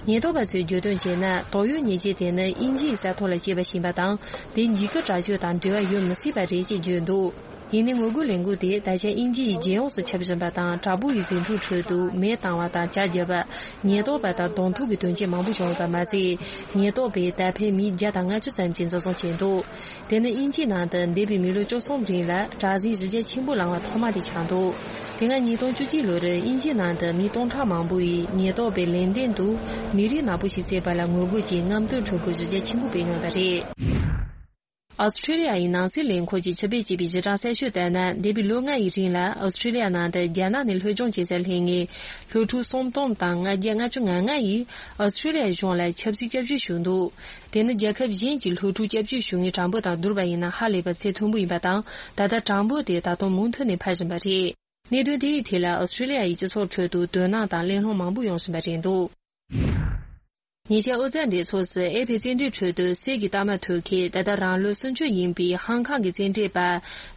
ཉེན་རྟོག་པ་ཚོས་བརྗོད་དོན་བྱས་ན། དོགས་ཡོད་ཉེས་ཅན་དེ་ནི་དབྱིན་ཇིའི་ས་ཐོག་ལ་སྐྱེས་པ་ཞིག་ཡིན་པ་དང་། དེ་འཇིགས་སྐུལ་དྲག་སྤྱོད་དང་འབྲེལ་བ་ཡོད་མི་སྲིད་པ་རེད་ཅེས་བརྗོད་འདུག་ཡིན་ནའི་ངོ་རྒོལ་ལས་འགུལ་དེ་ད་ཆ་དབྱིན་ཇི་ཡི་རྒྱལ་ཡོངས་སུ་ཁྱབ་བཞིན་པ་དང་། དྲག་པོ་ཡི་ཟིང་འཁྲུག་ཁྲོད་དུ་མེ་བཏང་བ་དང་། ཇ་བརྒྱབ་པ། ཉེན་རྟོག་པ་དང་གདོང་ཐུག་གི་དོན་རྐྱེན་མང་པོ་བྱུང་བ་མ་ཟད། ཉེན་རྟོག་པས་ད་ཕན་མི་བརྒྱ་དང་ལྔ་བཅུ་ཙམ་གྱིས་འཛིན་བཟུང་བྱས་འདུག་དེ་ནི་དབྱིན་ཇིའི་ནང་དུ་འདས་པའི་མི་ལོ་བཅུ་གསུམ་རིང་ལ་དྲག་ཟིང་གཞི་རྒྱ་ཆེན་པོ་ལངས་པ་ཐོག་མ་དེ་ཆགས་འདུག་དེ་སྔ་ཉིས་སྟོང་བཅུ་གཅིག་ལོར་དབྱིན་ཇིའི་ནང་དུ་མི་སྟོང་ཕྲག་མང་པོ་ཡིས་ཉེན་རྟོག་པའི་ལན་འདེབས་དུ་མི་རིགས་ནག་པོ་ཞིག་བསད་པ་ལ་ངོ་རྒོལ་གྱིས་རྔམ་སྟོན་ཁྲོམ་སྐོར་གཞི་རྒྱ་ཆེན་པོ་སྤེལ་མྱོང་བ་རེད། ཨོ་སི་ཁྲི་ལི་ཡ་ཡི་ནང་སྲིད་ལས་ཁུངས་ཀྱིས་ཕྱི་པེག་ཅེག་པའི་གཞི་གྲངས་གསལ་ཤོས་ལྟར་ན། འདས་པའི་ལོ་ལྔ་ཡི་རིང་ལ་ཨོ་སི་ཁྲི་ལི་ཡ་ནང་དུ་རྒྱ་ནག་ནས་སློབ་སྦྱོང་བྱེད་སར་སླེབས་མཁན་སློབ་ཕྲུག་སུམ་སྟོང་དང་ལྔ་བརྒྱ་ལྔ་བཅུ་ང་ལྔ་ཡིས་ཨོ་སི་ཁྲི་ལི་ཡ་གཞུང་ལ་ཆབ་སྲིད་སྐྱབས་བཅོལ་ཞུས་འདུག་དེ་ནི་རྒྱལ་ཁབ་གཞན་གྱི་སློབ་ཕྲུག་སྐྱབས་བཅོལ་ཞུ་མཁན་གྲངས་འབོར་དང་བསྡུར་བ་ཡིན་ན་ཧ་ལས་པ་ཚད་མཐོན་པོ་ཡིན་པ་དང་། ད་ལྟ་གྲངས་འབོར་དེ་ད་དུང་མུ་མཐུད་ནས་འཕར་བཞིན་པ་རེད། གནད་དོན་དེའི་ཐད་ལ་ཨོ་སི་ཁྲི་ལི་ཡ་ཡི་སྤྱི་ཚོགས་ཁྲོད་དུ་དོ་སྣང་དང་གླེང་སློང་མང་པོ་ཡོང་བཞིན་པ་རེད་འདུག་ཉེ་ཆར་ཨོ་རྩལ་འགྲན་ཚོགས་སུ་ཨེ་ཕའི་རྩེད་འགྲན་ཁྲོད་དུ་གསེར་གྱི་རྟགས་མ་ཐོབ་མཁན། ད་ལྟ་རང་ལོ་སུམ་ཅུ་ཡིན་པའི་ཧང་ཀང་གི་རྩེད་འགྲན་པ་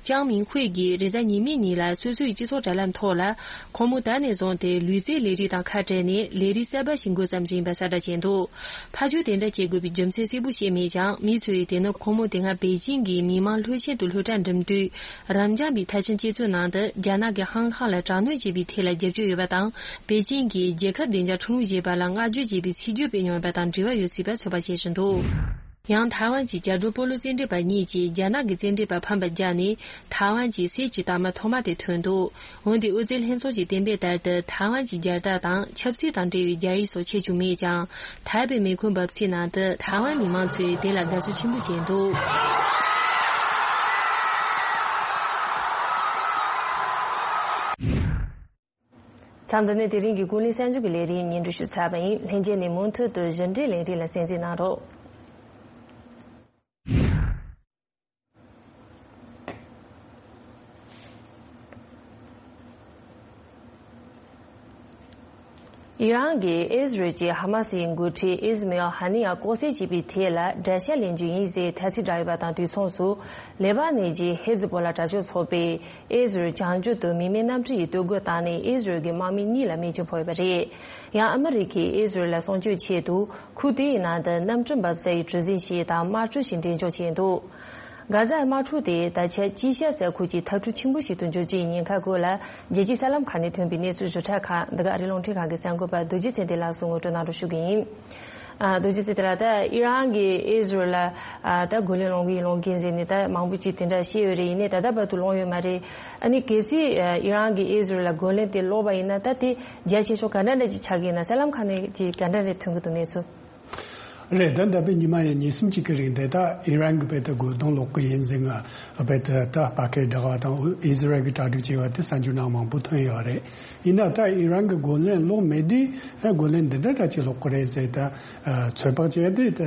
ཅང་མིང་ཧུའེ་ཡིས་རེས་གཟའ་ཉི་མའི་ཉིན་ལ་སོ་སོའི་སྤྱི་ཚོགས་དྲ་ལམ་ཐོག་ལ། ཁོ་མོ་ད་ནས་བཟུང་སྟེ་ལུས་རྩལ་ལས་རིགས་དང་ཁ་བྲལ་ནས་ལས་རིགས་གསར་པ་ཞིག་འགོ་བརྩམས་བཞིན་པ་གསལ་བསྒྲགས་བྱས་འདུག་ཕར་ཕྱོགས་དེ་འདྲ་བྱེད་དགོས་པའི་རྒྱུ་མཚན་གསལ་པོ་བཤད་མེད་ཀྱང་། མི་ཚོས་དེ་ནི་ཁོ་མོ་དེ་སྔ་པེ་ཅིང་གི་མི་དམངས་ལྷོད་ཆེན་དུ་སློབ་གྲྭ་འགྲིམ་དུས། རབ་འབྱམས་པའི་ཐ་ཆེན་སྤྱི་ཚོགས་ནང་དུ་རྒྱ་ནག་གིས་ཧང་ཀང་ལ་དྲག་གནོན་བྱས་པའི་ཐད་ལ་རྒྱབ་སྐྱོར་ཡོད་པ་དང་། པེ་ཅིང་གིས་རྒྱལ་ཁབ་བདེ་འཇགས་ཁྲིམས་ལུགས་ཅན་པ་ལ་བསྔགས་བརྗོད་བྱས་པའི་ཚིག་བརྗོད་སྤེལ་མྱོང་ཡོད་པ་དང་འབྲེལ་བ་ཡོད་སྲིད་པ་ཚོད་དཔག་བྱེད་བཞིན་འདུག་ཡང་ཐའེ་ཝན་གྱི་རྒྱ་བོད་སྤོ་ལོ་རྩེད་འགྲན་པ་གཉིས་ཀྱིས་རྒྱ་ནག་གི་རྩེད་འགྲན་པ་ཕམ་པར་བརྒྱབ་ནས། ཐའེ་ཝན་གྱིས་གསེར་གྱི་རྟགས་མ་ཐོག་མ་དེ་ཐོན་འདུག་འོན་ཏེ་ཨོ་རྩལ་ལྷན་ཚོགས་ཀྱིས་གཏན་འབེབས་ལྟར་དུ། ཐའེ་ཝན་གྱི་རྒྱལ་རྟགས་དང་ཆབ་སྲིད་དང་འབྲེལ་བའི་རྒྱ་ཡིག་སོགས་ཁྱེར་རྒྱུ་མེད་ཀྱང་། ཐའེ་པེ་མེ་འཁོར་འབབ་ཚིགས་ནང་དུ་ཐའེ་ཝན་མི་མང་ཚོས་དེ་ལ་དགའ་བསུ་ཆེན་པོ་བྱས་འདུག་མཚམས་འདི་ནས་དེ་རིང་གི་ཀུན་གླེང་གསར་འགྱུར་གྱི་ལས་རིམ་སྙན་སྒྲོན་ཞུས་ཚར་བ་ཡིན། ལྷན་རྒྱས་ནས་མུ་མཐུད་དུ་གཞི་འབྲེལ་ལས་རིམ་ལ་གསན་གཟིགས་གནང་རོགས། ཨི་རན་གྱིས་ཨིས་རལ་གྱི་ཧ་མ་སིའི་འགོ་ཁྲིད་ཨིས་མེ་ཨེལ་ཧ་ནི་ཡ་ལྐོག་བསད་བྱས་པའི་ཐད་ལ་དགྲ་ཤ་ལེན་རྒྱུ་ཡིན་ཟེར་ཐ་ཚིག་བསྒྲགས་ཡོད་པ་དང་། དུས་མཚུངས་སུ་ལེ་པ་ནན་གྱི་ཧེ་ཛི་བྷོ་ལ་དྲག་སྤྱོད་ཚོགས་པས་ཨིས་རལ་བྱང་རྒྱུད་དུ་མི་མེད་གནམ་གྲུ་ཡིས་གཏོར་རྒོལ་བཏང་ནས་ཨིས་རལ་གྱི་དམག་མི་གཉིས་ལ་རྨས་སྐྱོན་ཕོག་ཡོད་པ་རེད། ཡང་ཨ་མི་རི་ཀས་ཨིས་རལ་ལ་སྲུང་སྐྱོབ་ཆེད་དུ། ཁུལ་དེའི་ནང་དུ་གནམ་གྲུ་འབབ་ས་ཡི་གྲུ་གཟིངས་ཤིག་དང་དམག་གྲུ་ཞིག་འགྲེམས་འཇོག་བྱས་འདུག་གྷ་ཛའི་དམག་འཁྲུག་དེ་ད་ཆ་དཀྱིལ་ཤར་ས་ཁུལ་གྱི་འཐབ་འཁྲུག་ཆེན་པོ་ཞིག་ཏུ་འགྱུར་རྒྱུའི་ཉེན་ཁ་སྐོར་ལ། རྒྱལ་སྤྱིའི་གསར་ལམ་ཁག་ནས་ཐོན་པའི་གནས་ཚུལ་བཟོ་གྲྭ་ཁག་འདི་ག་རི་ལུང་ཁྲིད་ཁང་གི་གསར་འགོད་པ་རྡོ་རྗེ་ཚེ་བརྟན་ལགས་སུ་ངོ་སྤྲོད་གནང་རོགས་ཞུ་གི་ཡིན། ཨ། རྡོ་རྗེ་ཚེ་བརྟན་ལགས། ད་ཨི་རན་གྱིས་ཨི་ཟི་རལ་ལ། ཨ། ད་རྒོལ་ལན་སློང་གི་ཡིན་སློང་གི་ཡིན་ཟེར་ནས་ད་མང་པོ་ཅིག་དེ་འདྲ་བཤད་ཡོད་རེད། ཡིན་ནའི་ད་ལྟ་བར་དུ་སློང་ཡོད་མ་རེད། ཨ་ནི་གལ་སྲིད་ཨི་རན་གྱིས་ཨི་ཟི་རལ་ལ་རྒོལ་ལན་དེ་སློག་པ་ཡིན་ན། ད་དེ་རྒྱ་ཆེ་ཤོས་ག་འདྲ་འདྲ་ཅིག་ཆགས་ཀྱི་ཡིན་ན། གསར་ལམ་ཁག་ནས་ཅིག་ག་འདྲ་རེ་ཐོན་གྱི་འདུག་གནས་ཚུལ། རེད། ད་འདས་པའི་ཉི་མ་ཡང་ཉིན་གསུམ་གཅིག་གི་རིང་དེ་ད་ཨི་རན་གྱིས་དཔེ་ད་རྒོལ་རྡུང་སློག་གི་ཡིན་ཟེར། ང་དཔེ་ད་ད་ཕ་སྐད་བསྒྲགས་པ་དང་ཨི་ཟི་རལ་གྱིས་གྲ་སྒྲིག་བྱས་པ་དེ་གསར་འགྱུར་ནང་མང་པོ་ཐོན་ཡོད་རེད། ཡིན་ན་ད་ཨི་རན་གྱིས་རྒོལ་ལན་སློག་མེད་དུས་རྒོལ་ལན་འདི་འདྲ་འདྲ་ཅིག་སློག་གི་རེད་ཟེར། ད་ཚོད་དཔག་བྱས་དུས་ད་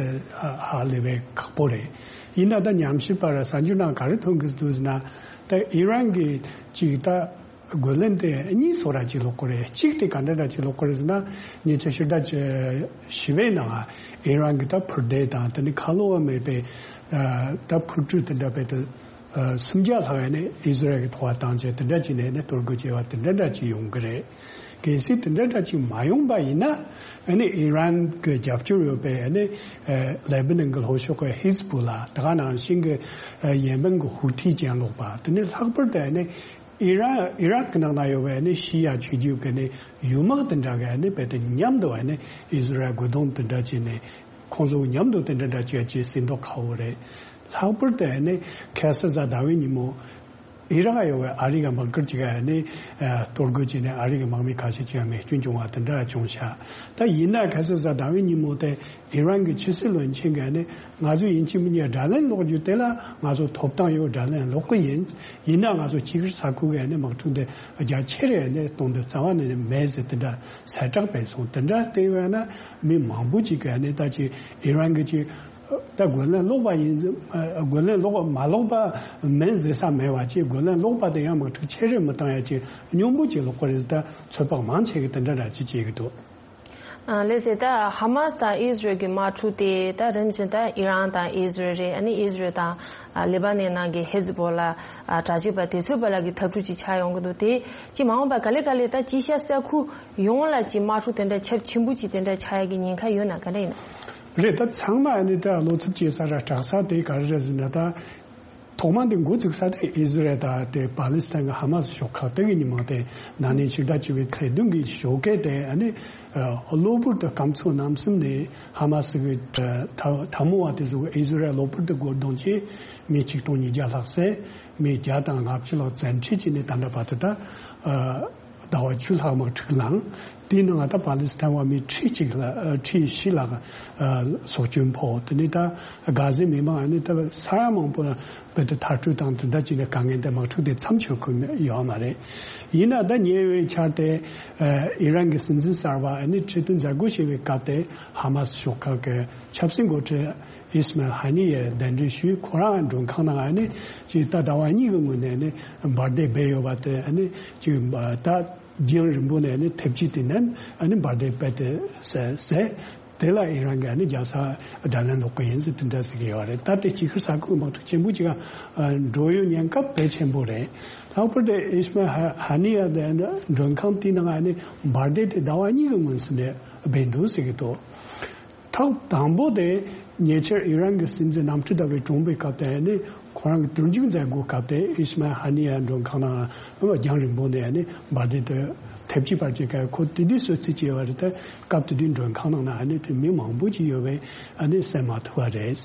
ཧ་ལས་པའི་ཁག་པོ་རེད། ཡིན་ན་ད་ཉམས་ཞིབ་པར་གསར་འགྱུར་ནང་ག་རེ་ཐོན་གྱི་འདུག་ཟེར་ན། ད་ཨི་རན་གྱིས་ཅིག་ད། རྒོལ་ལན་དེ་གཉིས་བཟོ་འདྲ་ཅིག་སློག་གི་རེད། གཅིག་དེ་ག་འདྲ་འདྲ་ཅིག་སློག་གི་རེད་ཟེར་ན། ཉེ་ཆར་ཕྱི་ཟླ་བཞི་པའི་ནང་ཨི་རན་གྱིས་ད་འཕུར་མདེལ་དང་དེ་ནི་ཁ་ལོ་བ་མེད་པའི་ད་འཕུར་གྲུ་དེ་འདྲ་དཔེ་ད་སུམ་བརྒྱ་ལྷག་ཡ་ནས་ཨི་ཟི་རལ་གྱི་ཐོག་བཏང་བྱས། དེ་འདྲ་ཅིག་ནས་ནི་གཏོར་རྒོལ་བྱས་པ་དེ་འདྲ་འདྲ་ཅིག་ཡོང་གི་རེད། གལ་སྲིད་དེ་འདྲ་འདྲ་ཅིག་མ་ཡོང་པ་ཡིན་ན། ཨ་ནི་ཨི་རན་གྱི་རྒྱབ་སྐྱོར་ཡོད་པའི་ཨ་ནི་ལེ་བྷ་ནན་གྱི་ལྷོ་ཕྱོགས་ཀྱི་ཧི་ཛི་བྷོ་ལ། དེ་ག་ནང་བཞིན་གྱི་ཡེ་མེན་གྱི་ཧུ་ཐི་གྱེན་ལོག་པ། དེ་ནི་ལྷག་པར་དུ་ཨ་ནི། ཨི་རན། ཨི་རག་གི་ནང་ན་ཡོད་པའི་ནི་ཤི་ཡ་ཆོས་བརྒྱུད་ཀྱི་ནི་ཡུལ་དམག་དེ་འདྲ་གི་ནི་དཔེ་དེ་མཉམ་དུ་ནི་ཨི་ཟི་རལ་རྒོལ་རྡུང་དེ་འདྲ་བྱས་ནས། ཁོང་ཚོ་མཉམ་དུ་དེ་འདྲ་འདྲ་བྱས་བྱས་ཟིན་མདོག་ཁ་པོ་རེད། ལྷག་པར་དུ་ནི་ཁ་སང་གཟའ་ཟླ་བའི་ཉིན་མོ་ཨི་རག་ཡོད་པའི་ཨ་རི་གི་དམག་སྒར་ཅིག་ག་ནི་གཏོར་རྒོལ་བྱས་ནས་ཨ་རི་གི་དམག་མི་ཁ་ཤས་ཅིག་མེ་སྐྱོན་བྱུང་བ་དེ་འདྲ་བྱུང་ཤག་ད་ཡིན་ན་ཁ་སང་གཟའ་ཟླ་བའི་ཉིན་མོ་དེ། ཨི་རན་གྱི་ཕྱི་སྲིད་བློན་ཆེན་གྱིས་ནི་ང་ཚོ་ཡིན་གཅིག་མིན་གཉིས་དགྲ་ལན་སློག་རྒྱུ་དེ་ལ་ང་ཚོ་ཐོབ་ཐང་ཡོད། དགྲ་ལན་སློག་གི་ཡིན། ཡིན་ན་ང་ཚོ་ཅིག་ས་ཁུལ་གྱི་ནི་དམག་འཁྲུག་འདི་རྒྱ་ཆེ་རེ་ནི་གཏོང་འདོད་རྩ་བ་ནས་མེད་ཟེར་དེ་འདྲ་གསལ་བསྒྲགས་སྤེལ་སོང་། དེ་འདྲ་བལྟས་པས་ན་མི་མང་པོ་ཅིག་གིས་ནི་ད་ཅིག་ཨི་རན་གྱི་ཅིག་ད་རྒོལ་ལན་སློག་པ་ཡིན། རྒོལ་ལན་སློག་པ་མ་སློག་པ་མིན་ཟེར་ས་མེད་པ། ཅིག་རྒོལ་ལན་སློག་པ་དེ་ཡང་དམག་འཁྲུག་ཆེ་རེ་མི་བཏང་ཡ་ཅིག་སྙོམས་པོ་ཅིག་སློག་གི་རེད། ད་ཚོད་དཔག་མང་ཆེ་གིས་དེ་འདྲ་འདྲ་ཅིག་བྱེད་ཀྱི་འདུག་ཨ། ལགས་སེ། ད་ཧ་མ་སི་དང་ཨི་ཟི་རལ་གྱི་དམག་འཁྲུག་དེ་ད་རིམ་བཞིན་ད་ཨི་རན་དང་ཨི་ཟི་རལ་རེད། ཨ་ནི་ཨི་ཟི་རལ་དང་ཨ་ལེ་པ་ནན་ནང་གི་ཧེ་ཛི་བྷོ་ལ། ཨ། དྲག་སྤྱོད་པ་དེ་ཚོའི་བར་ལ་གི་འཐབ་འཁྲུག་ཅིག་ཆགས་ཡོང་གི་འདུག་དེ་ཅིག་མ་འོངས་པ་ག་ལེ་ག་ལེ་ད་དཀྱིལ་ཤར་ས་ཁུལ་ཡོངས་ལ་ཅིག་དམག་འཁྲུག་དེ་འདྲ་ཁྱབ་ཆེན་པོ་ཅིག་དེ་འདྲ་ཆགས་ཡ་གི་ཉེན་ཁ་ཡོད་ན་ག་འདྲ་ཡིན་ན། རེད། ད་ཚང་མ་ཨ་ནི་ད་བློ་འཚབ་བྱེད་ས་ར་སྐྲག་ས་དེ་ག་རེ་རེད་ཟེར་ན། ད་ ཐོག་མ་དེ་འགོ་བཙུགས་ས་དེ་ཨི་ཟི་རལ་དང་དེ་པ་ལི་སི་ཐན་གྱི་ཧ་མ་སི་ཤོག་ཁག་དེ་གི་ཉི་མ་དེ་ན་ནིང་ཕྱི་ཟླ་བཅུ་པའི་ཚེས་བདུན་གྱི་ཞོགས་ཀས་དེ་ཨ་ནི་གློ་བུར་དུ་སྐམ་ཚོགས་རྣམ་གསུམ་ནས་ཧ་མ་སི་གི་འཐབ་འཐབ་མོ་བ་དེ་ཚོ་གི་ཨི་ཟི་རལ་གློ་བུར་དུ་རྒོལ་རྡུང་བྱས། མི་ཆིག་སྟོང་ཉིས་བརྒྱ་ལྷག་བསད། མི་བརྒྱ་དང་ལྔ་བཅུ་ལྷག་བཙན་ཁྲིད་བྱས་ནས་ད་ལྟ་བར་དུ་ད་ཟླ་བ་བཅུ་ལྷག་དམག་འཁྲུག་ལངས། དེའི་ནང་ད་པ་ལི་སི་ཐན་བ་མི་ཁྲི་གཅིག་ལ་ཁྲི་བཞི་ལྷག་སྲོག་སྐྱོན་ཕོག། དེ་ནས་ད་གྷ་ཟའི་མི་མང་ཨ་ནི་ད་ས་ཡ་མང་པོ་བོད་དུ་མཐར་སྐྲོད་དང་དེ་འདྲ་བྱས་ནས་དཀའ་ངལ་དེ་དམག་འཁྲུག་དེ་མཚམས་ཆོད་ཁུལ་ཡོད་མ་རེད། ཡིན་ན་ད་ཉེ་བའི་ཆར་དེ་ཨི་རན་གྱི་སྲིད་འཛིན་གསར་བ་ཨ་ནི་ཁྲི་སྟོན་མཛད་སྒོ་བྱེད་པའི་སྐབས་དེ་ཧ་མ་སི་ཤོག་ཁག་གི་ཆབ་སྲིད་འགོ་ཁྲིད་ཨིས་མལ་ཧ་ནི་ཡས་གདན་འདྲེན་ཞུས། ཁོ་རང་མགྲོན་ཁང་ནང་ཨ་ནི་ཅིག་ད་ཟླ་བ་གཉིས་ཀྱི་སྔོན་ནས་ཨ་ནི་འབར་མདེལ་སྦས་ཡོད་པ་དེ་ཨ་ནི་ཅིག་ད་རྒྱང་རིང་པོ་ནས་ཨ་ནི་ཐེབས་ཀྱི་དེ་ནས་ཨ་ནི་འབར་མདེལ་སྦས་ཏེ་ཟེར་ཟེར། དེ་ལ་ཨི་རན་གྱིས་ཨ་ནི་རྒྱལ་ས་དགྲ་ལན་སློག་གི་ཡིན་ཟེར་དེ་འདྲ་ཟེར་གྱི་ཡོད་རེད། ད་དེ་དཀྱིལ་ཤར་ས་ཁུལ་དམག་འཁྲུག་ཆེན་པོ་ཅིག་འགྲོ་ཡོད་ཉེན་ཁ་དཔེ་ཆེན་པོ་རེད། ལྷག་པར་དུ་ཨིས་མལ་ཧ་ཧ་ནི་ཡ་དེ་མགྲོན་ཁང་དེའི་ནང་ཨ་ནི་འབར་མདེལ་དེ་ཟླ་བ་གཉིས་ཀྱི་སྔོན་ཟེར་ནས་སྦས་འདུག་ཟེར་གྱི་འདུག་ཐོག་དང་པོ་དེ་ཉེ་ཆར་ཨི་རན་གྱི་སྲིད་འཛིན་གནམ་གྲུ་བརྡབས་པའི་གྲོངས་པའི་སྐབས་དེ་ནི་ཁོ་རང་གི་དུར་འཇུག་མཛད་སྒོའི་སྐབས་དེ་ཨིས་མལ་ཧ་ནི་ཡ་མགྲོན་ཁང་ནང་རྒྱང་རིང་པོ་ནས་ནི་འབར་མདེལ་དེ་ཐེབས་ཀྱི་བར་གྱི་སྐབས་ཁོ་དེ་དུས་གསོད་རྩིས་བྱས་པ་རེད། དེ་སྐབས་དེ་དུས་མགྲོན་ཁང་ནང་ན་ཨ་ནི་དེ་མི་མང་པོ་ཅིག་ཡོད་པས་ཨ་ནི་བསད་མ་ཐུབ་པ་རེད།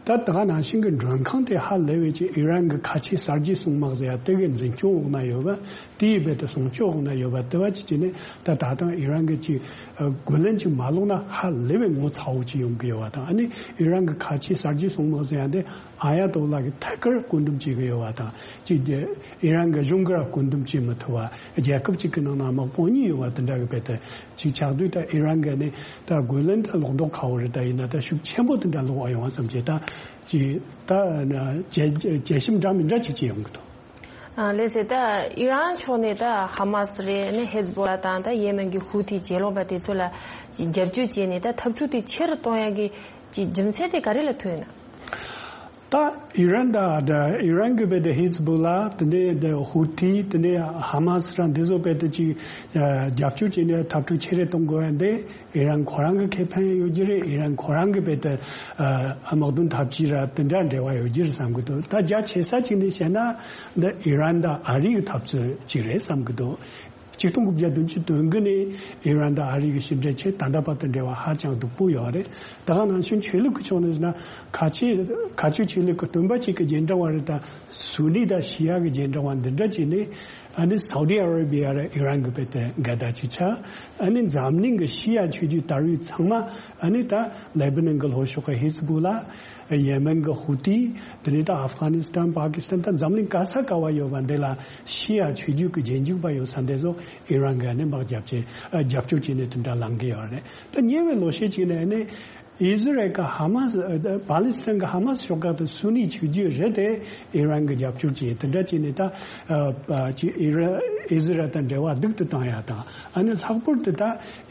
ད་ད་ག་ནང་བཞིན་གྱི་མགྲོན་ཁང་དེ་ཧ་ལས་པའི་ཅིག་ཨི་རན་གྱི་ཁ་ཆེ་གསར་བརྗེའི་སྲུང་དམག་ཟེར་ཡ་དེ་གའི་འཛིན་སྐྱོང་འོག་ན་ཡོད་པ། དེའི་རྦད་དེ་སྲུང་སྐྱོབ་འོག་ན་ཡོད་པ་དེ་བ་ཅིག་བྱས་ནས་ད་ད་ཐེངས་ཨི་རན་གྱི་ཅིག་རྒོལ་ལན་ཅིག་མ་སློག་ན་ཧ་ལས་པའི་ངོ་ཚ་བོ་ཅིག་ཡོང་གི་ཡོད་པ་དང་། ཨ་ནི་ཨི་རན་གྱི་ཁ་ཆེའི་གསར་བརྗེའི་སྲུང་དམག་ཟེར་ཡ་དེ་ཨ་ཡ་ཏོ་ལ་གི་ཐད་ཀར་བཀོད་འདོམས་བྱེད་ཀྱི་ཡོད་པ་དང་། ཅིག་ཨི་རན་གྱི་གཞུང་གིས་ར་བཀོད་འདོམས་བྱེད་མི་ཐུབ་པ། རྒྱལ་ཁབ་ཅིག་གི་ནང་ན་དམག་དཔུང་གཉིས་ཡོད་པ་དེ་འདྲ་གི་རྦད་དེ་ཅིག་ཆགས་དུས། ད་ཨི་རན་གྱི་ནི་ད་རྒོལ་ལན་ད་སློག་མདོག་ཁ་བོ་རེད། ད་ཡིན་ན་ད་ཤུགས་ཆེན་པོ་དེ་འདྲ་སློག་པ་ཡོང་བ་བསམ་བྱས། ད་ཅིག་ད་ཇེ་ཇེ་ཞིབ་འདྲ་མི་འདྲ་ཅིག་བྱེད་ཡོང་གི་འདུག་ཨ་ལགས་སེ། ད་ཨི་རན་ཕྱོགས་ནས་ད་ཧ་མ་སི་རེད། ནི་ཧེ་ཛ་བོ་ལ་དང་ད་ཡེ་མེན་གྱི་ཧུ་ཐི་གྱེན་ལོག་པ་དེ་ཚོ་ལ་རྒྱབ་སྐྱོར་བྱས་ནས་ད་འཐབ་འཁྲུག་དེ་ཆེ་རུ་གཏོང་ཡ་གི་ཅིག་རྒྱུ་མཚན་དེ་ག་རེ་ལ་ཐུག་ཡོད་ན། ད་ཨི་རན་ད་ད་ཨི་རན་གྱི་རྦད་དེ་ཧེ་ཛ་བོ་ལ། དེ་ནས་ད་ཧུ་ཐི། དེ་ནས་ཧ་མ་སི་ར་འདི་ཚོ་རྦད་དེ་ཅིག་རྒྱབ་སྐྱོར་བྱས་ནས་འཐབ་འཁྲུག་ཆེ་རུ་གཏོང་དགོས་ཡ་འདི། ཨི་རན་ཁོ་རང་གི་ཁེ་ཕན་ཡོད་རྒྱུ་རེད། ཨི་རན་ཁོ་རང་གི་རྦད་དེ་ཨ་དམག་དོན་འཐབ་ཇུས་ར་དེ་འདྲ་འབྲེལ་བ་ཡོད་རྒྱུ་རེད་བསམ་གྱི་འདུག་ད་རྒྱ་ཆེ་ས་ཅིག་ནས་བཤད་ན་འདི་ཨི་རན་དང་ཨ་རི་གི་འཐབ་རྩོད་ཅིག་རེད་བསམ་གྱི་འདུག་ཆིག་སྟོང་དགུ་བརྒྱ་བདུན་ཅུ་དོན་དགུ་ནས་ཨི་རན་དང་ཨ་རི་གི་ཕྱི་འབྲེལ་ཆེད་ད་ལྟ་བར་དུ་འབྲེལ་བ་ཧ་ཅང་སྡུག་པོ་ཡོད་རེད། ད་ག་ནང་བཞིན་ཆོས་ལུགས་ཀྱི་ཕྱོགས་ནས་ན་ཁ་ཆེ་ཁ་ཆེ་ཆོས་ལུགས་ཀྱི་སྟོན་པ་གཅིག་གི་རྗེས་འབྲང་བ་རེད། ད་སུ་ནི་དང་ཤི་ཡ་གི་རྗེས་འབྲང་བ་འདི་འདྲ་བྱས་ནས། ཨ་ནི་སའུ་ཌི་ཨ་ར་བི་ཡ་ར་ཨི་རན་གྱི་རྦད་དེ་འགལ་ཟླ་ཅིག་ཆགས། ཨ་ནི་འཛམ་གླིང་གི་ཤི་ཡ་ཆོས་བརྒྱུད་དར་བའི་ཚང་མ། ཨ་ནི་ད་ལེ་བྷ་ནན་གྱི་ལྷོ་ཕྱོགས་ཀྱི་ཧེ་ཛ་བོ་ལ། ཡེ་མེན་གྱི་ཧུ་ཏི། དེ་ནས་ད་ཨབ་གྷ་ནི་སི་ཐན། པ་ཀི་སི་ཐན། ད་འཛམ་གླིང་ག་ས་ག་བ་ཡོད་པ་འདི་ལ་ཤི་ཡ་ཆོས་བརྒྱུད་ཀྱི་རྗེས་འཇུག་པ་ཡོད་ས་འདི་ཚོ་ཨི་རན་གྱིས་ཨ་ནི་དམག་རྒྱབ་བྱས། ཨ་རྒྱབ་སྐྱོར་བྱས་ནས་དེ་འདྲ་ལངས་ཀྱི་ཡོད་རེད། ད་ཉེ་བའི་ལོ་ཤས་ཅིག་ནས་ཨ་ནི། ཨི་ཟི་རལ་གྱི་ཧ་མ་སི། ཨ་པ་ལི་སི་ཐན་གྱི་ཧ་མ་སི་ཤོག་ཁག་དེ་སུ་ནི་ཆོས་བརྒྱུད་རེད་དེ། ཨི་རན་གྱིས་རྒྱབ་སྐྱོར་བྱས། དེ་འདྲ་བྱས་ནས་ད་ཨ་ཅིག་ཨི་ར་ཨི་ཟི་རལ་དང་འབྲེལ་བ་སྡུག་ཏུ་བཏང་ཡ་དང་། ཨ་ནི་ལྷག་པར་དུ་ད་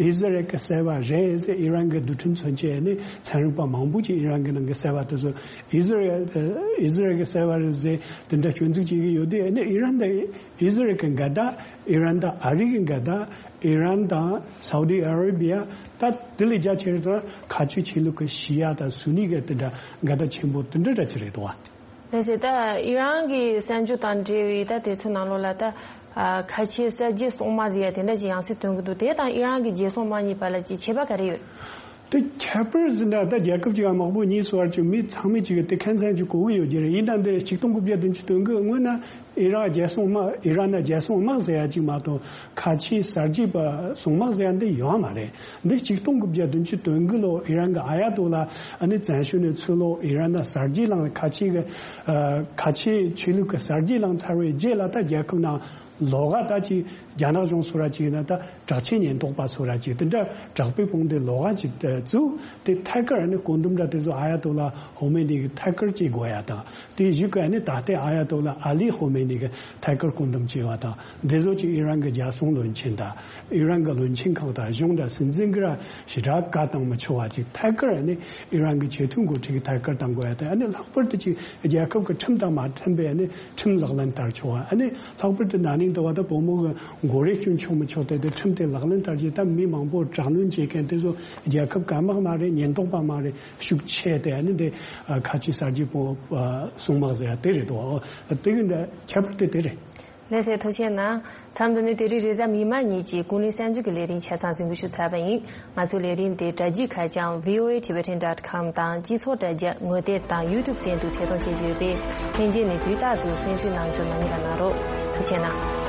ཨི་ཟི་རལ་གྱིས་བསད་པ་རེད་ཟེར་ཨི་རན་གྱི་རྡུལ་ཕྲན་མཚོན་ཆའི་ཨ་ནི་ཚན་རིག་པ་མང་པོ་ཅིག་ཨི་རན་གྱི་ནང་གི་བསད་པ་དེ་ཚོ་ཨི་ཟི་རལ་ཨི་ཟི་རལ་གྱིས་བསད་པ་རེད་ཟེར་དེ་འདྲ་སྐྱོན་འཛུགས་བྱེད་ཀྱི་ཡོད་དུས། ཨ་ནི་ཨི་རན་དང་ཨི་ཟི་རལ་གྱི་འགལ་ཟླ། ཨི་རན་དང་ཨ་རི་གི་འགལ་ཟླ། ཨི་རན་དང་སའུ་ཌི་ཨ་ར་བི་ཡ། ད་དེ་ལས་རྒྱ་ཆེ་རུ་དང་ཁ་ཆེ་ཆོས་ལུགས་ཀྱི་ཤི་ཡ་དང་སུ་ནི་གི་དེ་འདྲ་འགལ་ཟླ་ཆེན་པོ་དེ་འདྲ་འདྲ་ཅིག་རེད་དོ། ལགས་སེ། ད་ཨི་རན་གྱི་གསར་འགྱུར་དང་འབྲེལ་བའི་ད་དེ་ཚོའི་ནང་ལོགས་ལ་ད་ཨ་ཁ་ཆེ་གསར་བརྗེའི་སྲུང་དམག་ཟེར་ཡ་དེ་འདྲ་ཞིག་ཡང་སེ་ཐོན་གྱི་འདུག་དེ་དང་ཨི་རན་གྱི་རྒྱལ་སྲུང་དམག་གཉིས་བར་ལ་ཅིག་ཁྱད་པར་ག་རེ་ཡོད། དེ་ཁྱད་པར་ཟེར་ན་ད་རྒྱལ་ཁབ་ཅིག་ག་དམག་དཔུང་གཉིས་སུ་བར་གྱི་མི་ཚང་མས་ཅིག་གི་དེ་ཁ་སང་ཅིག་གོ་གི་ཡོད་ཀྱི་རེད། ཡིན་ནའང་དེ་ཆིག་སྟོང་དགུ་བརྒྱ་བདུན་ཅུ་དོན་དགུ་སྔོན་ན་ཨི་རན་རྒྱལ་སྲུང་དམག་ཨི་རན་ན་རྒྱལ་སྲུང་དམག་ཟེར་ཡ་ཅིག་མ་གཏོགས་ཁ་ཆེའི་གསར་བརྗེ་པ་སྲུང་དམག་ཟེར་ཡ་འདི་ཡོད་མ་རེད། འདི་ཆིག་སྟོང་དགུ་བརྒྱ་བདུན་ཅུ་དོན་དགུ་ལོ་ཨི་རན་གྱི་ཨ་ཡ་ཏོ་ལ་ཨ་ནི་བཙན་བྱོལ་ནས་ཚུར་ལོག་ཨི་རན་ན་གསར་བརྗེ་བསླངས། ཁ་ཆེ་གི་ཨ་ཁ་ཆེའི་ཆོས་ལུགས་ཀྱི་གསར་བརྗེ་བསླངས་ཚར་བའི་རྗེས་ལ་ད་རྒྱལ་ཁབ་ནང་ལོགས་ཀ་ད་ཅིག་རྒྱ་ནག་གཞུང་སུ་ར་ཅིག་ཡིན་ན་ད་དྲག་ཆས་ཉེན་རྟོག་པ་སུ་ར་ཅིག་དེ་འདྲ་དྲག་པོའི་དཔུང་སྡེ་ལོགས་ཀ་ཅིག་བཙུགས། དེ་ཐད་ཀར་ནི་བཀོད་འདོམས་འདྲ་དེ་ཚོ་ཨ་ཡ་ཏོ་ལ་ཧོ་མེ་ནི་གི་ཐད་ཀར་བྱེད་དགོས་ཡ་དང་། དེ་བཞིན་གི་ནི་ད་ལྟའི་ཨ་ཡ་ཏོ་ལ་ཨ་ལི་ཧོ་མེ་ནི་གི་ཐད་ཀར་བཀོད་འདོམས་བྱས་པ་དང་། འདི་ཚོ་ཅིག་ཨི་རན་གྱི་རྒྱལ་སྲུང་བློན་ཆེན་དང་ཨི་རན་གྱི་བློན་ཆེན་ཁག་དང་གཞུང་དང་སྲིད་འཛིན་གྱིས་ར་ཞེ་དྲག་བཀའ་བཏང་མི་ཆོག་པ་ཅིག་ཐད་ཀར་ནི་ཨི་རན་གྱི་ཆེས་མཐོའི་འགོ་ཁྲིད་ཀྱིས་ཐད་ཀར་བཏང་དགོས་ཡ་དང་། ཨ་ནི་ལྷག་པར་དུ་ཅིག་རྒྱལ་ཁབ་ཀྱི་ཁྲིམས་དང་མ་མཐུན་པའི་ཨ་ནི་ཁྲིམས་ལག་ལེན་བསྟར་ཆོག་པ། ཨ་ནི་ལྷག་པར་དུ་ན་ ཡིན་དུ་བ་ད་བུ་མོ་གི་མགོ་རས་གཅུན་ཆོག་མི་ཆོག་དེ་དེ་ཁྲིམས་དེ་ལག་ལེན་བསྟར་རྗེས་ད་མི་མང་པོ་དྲག་གནོན་བྱེད་མཁན་དེ་ཚོ་རྒྱལ་ཁབ་གང་མང་མ་རེད། ཉེན་རྟོག་པ་མང་རེད། ཤུགས་ཆེ་དེ་ཨ་ནི་དེ་ཁ་ཆེ་གསར་བརྗེ་པོ་སྲུང་དམག་ཟེར་ཡ་དེ་རེད་དོ། དེ་གི་འདྲ་ཁྱད་པར་དེ་དེ་རེད། ལགས་སེ། ཐུགས་རྗེ་གནང་། མཚམས་འདི་ནས་དེ་རིང་རེས་གཟའ་མིག་དམར་ཉིན་གྱི་ཀུན་གླེང་གསར་འགྱུར་གྱི་ལས་རིམ་ཆ་ཚང་གཟིགས་འབུལ་ཞུ་ཚར་བ་ཡིན། ང་ཚོའི་ལས་རིམ་དེ་དྲ་རྒྱའི་ཁ་བྱང་V O A Tibetan dot com དང་སྤྱི་ཚོགས་དྲ་རྒྱ་ངོ་དེབ་དང་YouTube སྟེང་དུ་ཐད་གཏོང་བྱེད་ཀྱི་ཡོད་པས། ལྷན་རྒྱས་ནས་དུས་རྟག་ཏུ་གསན་གཟིགས་གནང་རྒྱུ་མ་བསྙེལ་བ་གནང་རོགས། ཐུགས་རྗེ་གནང་།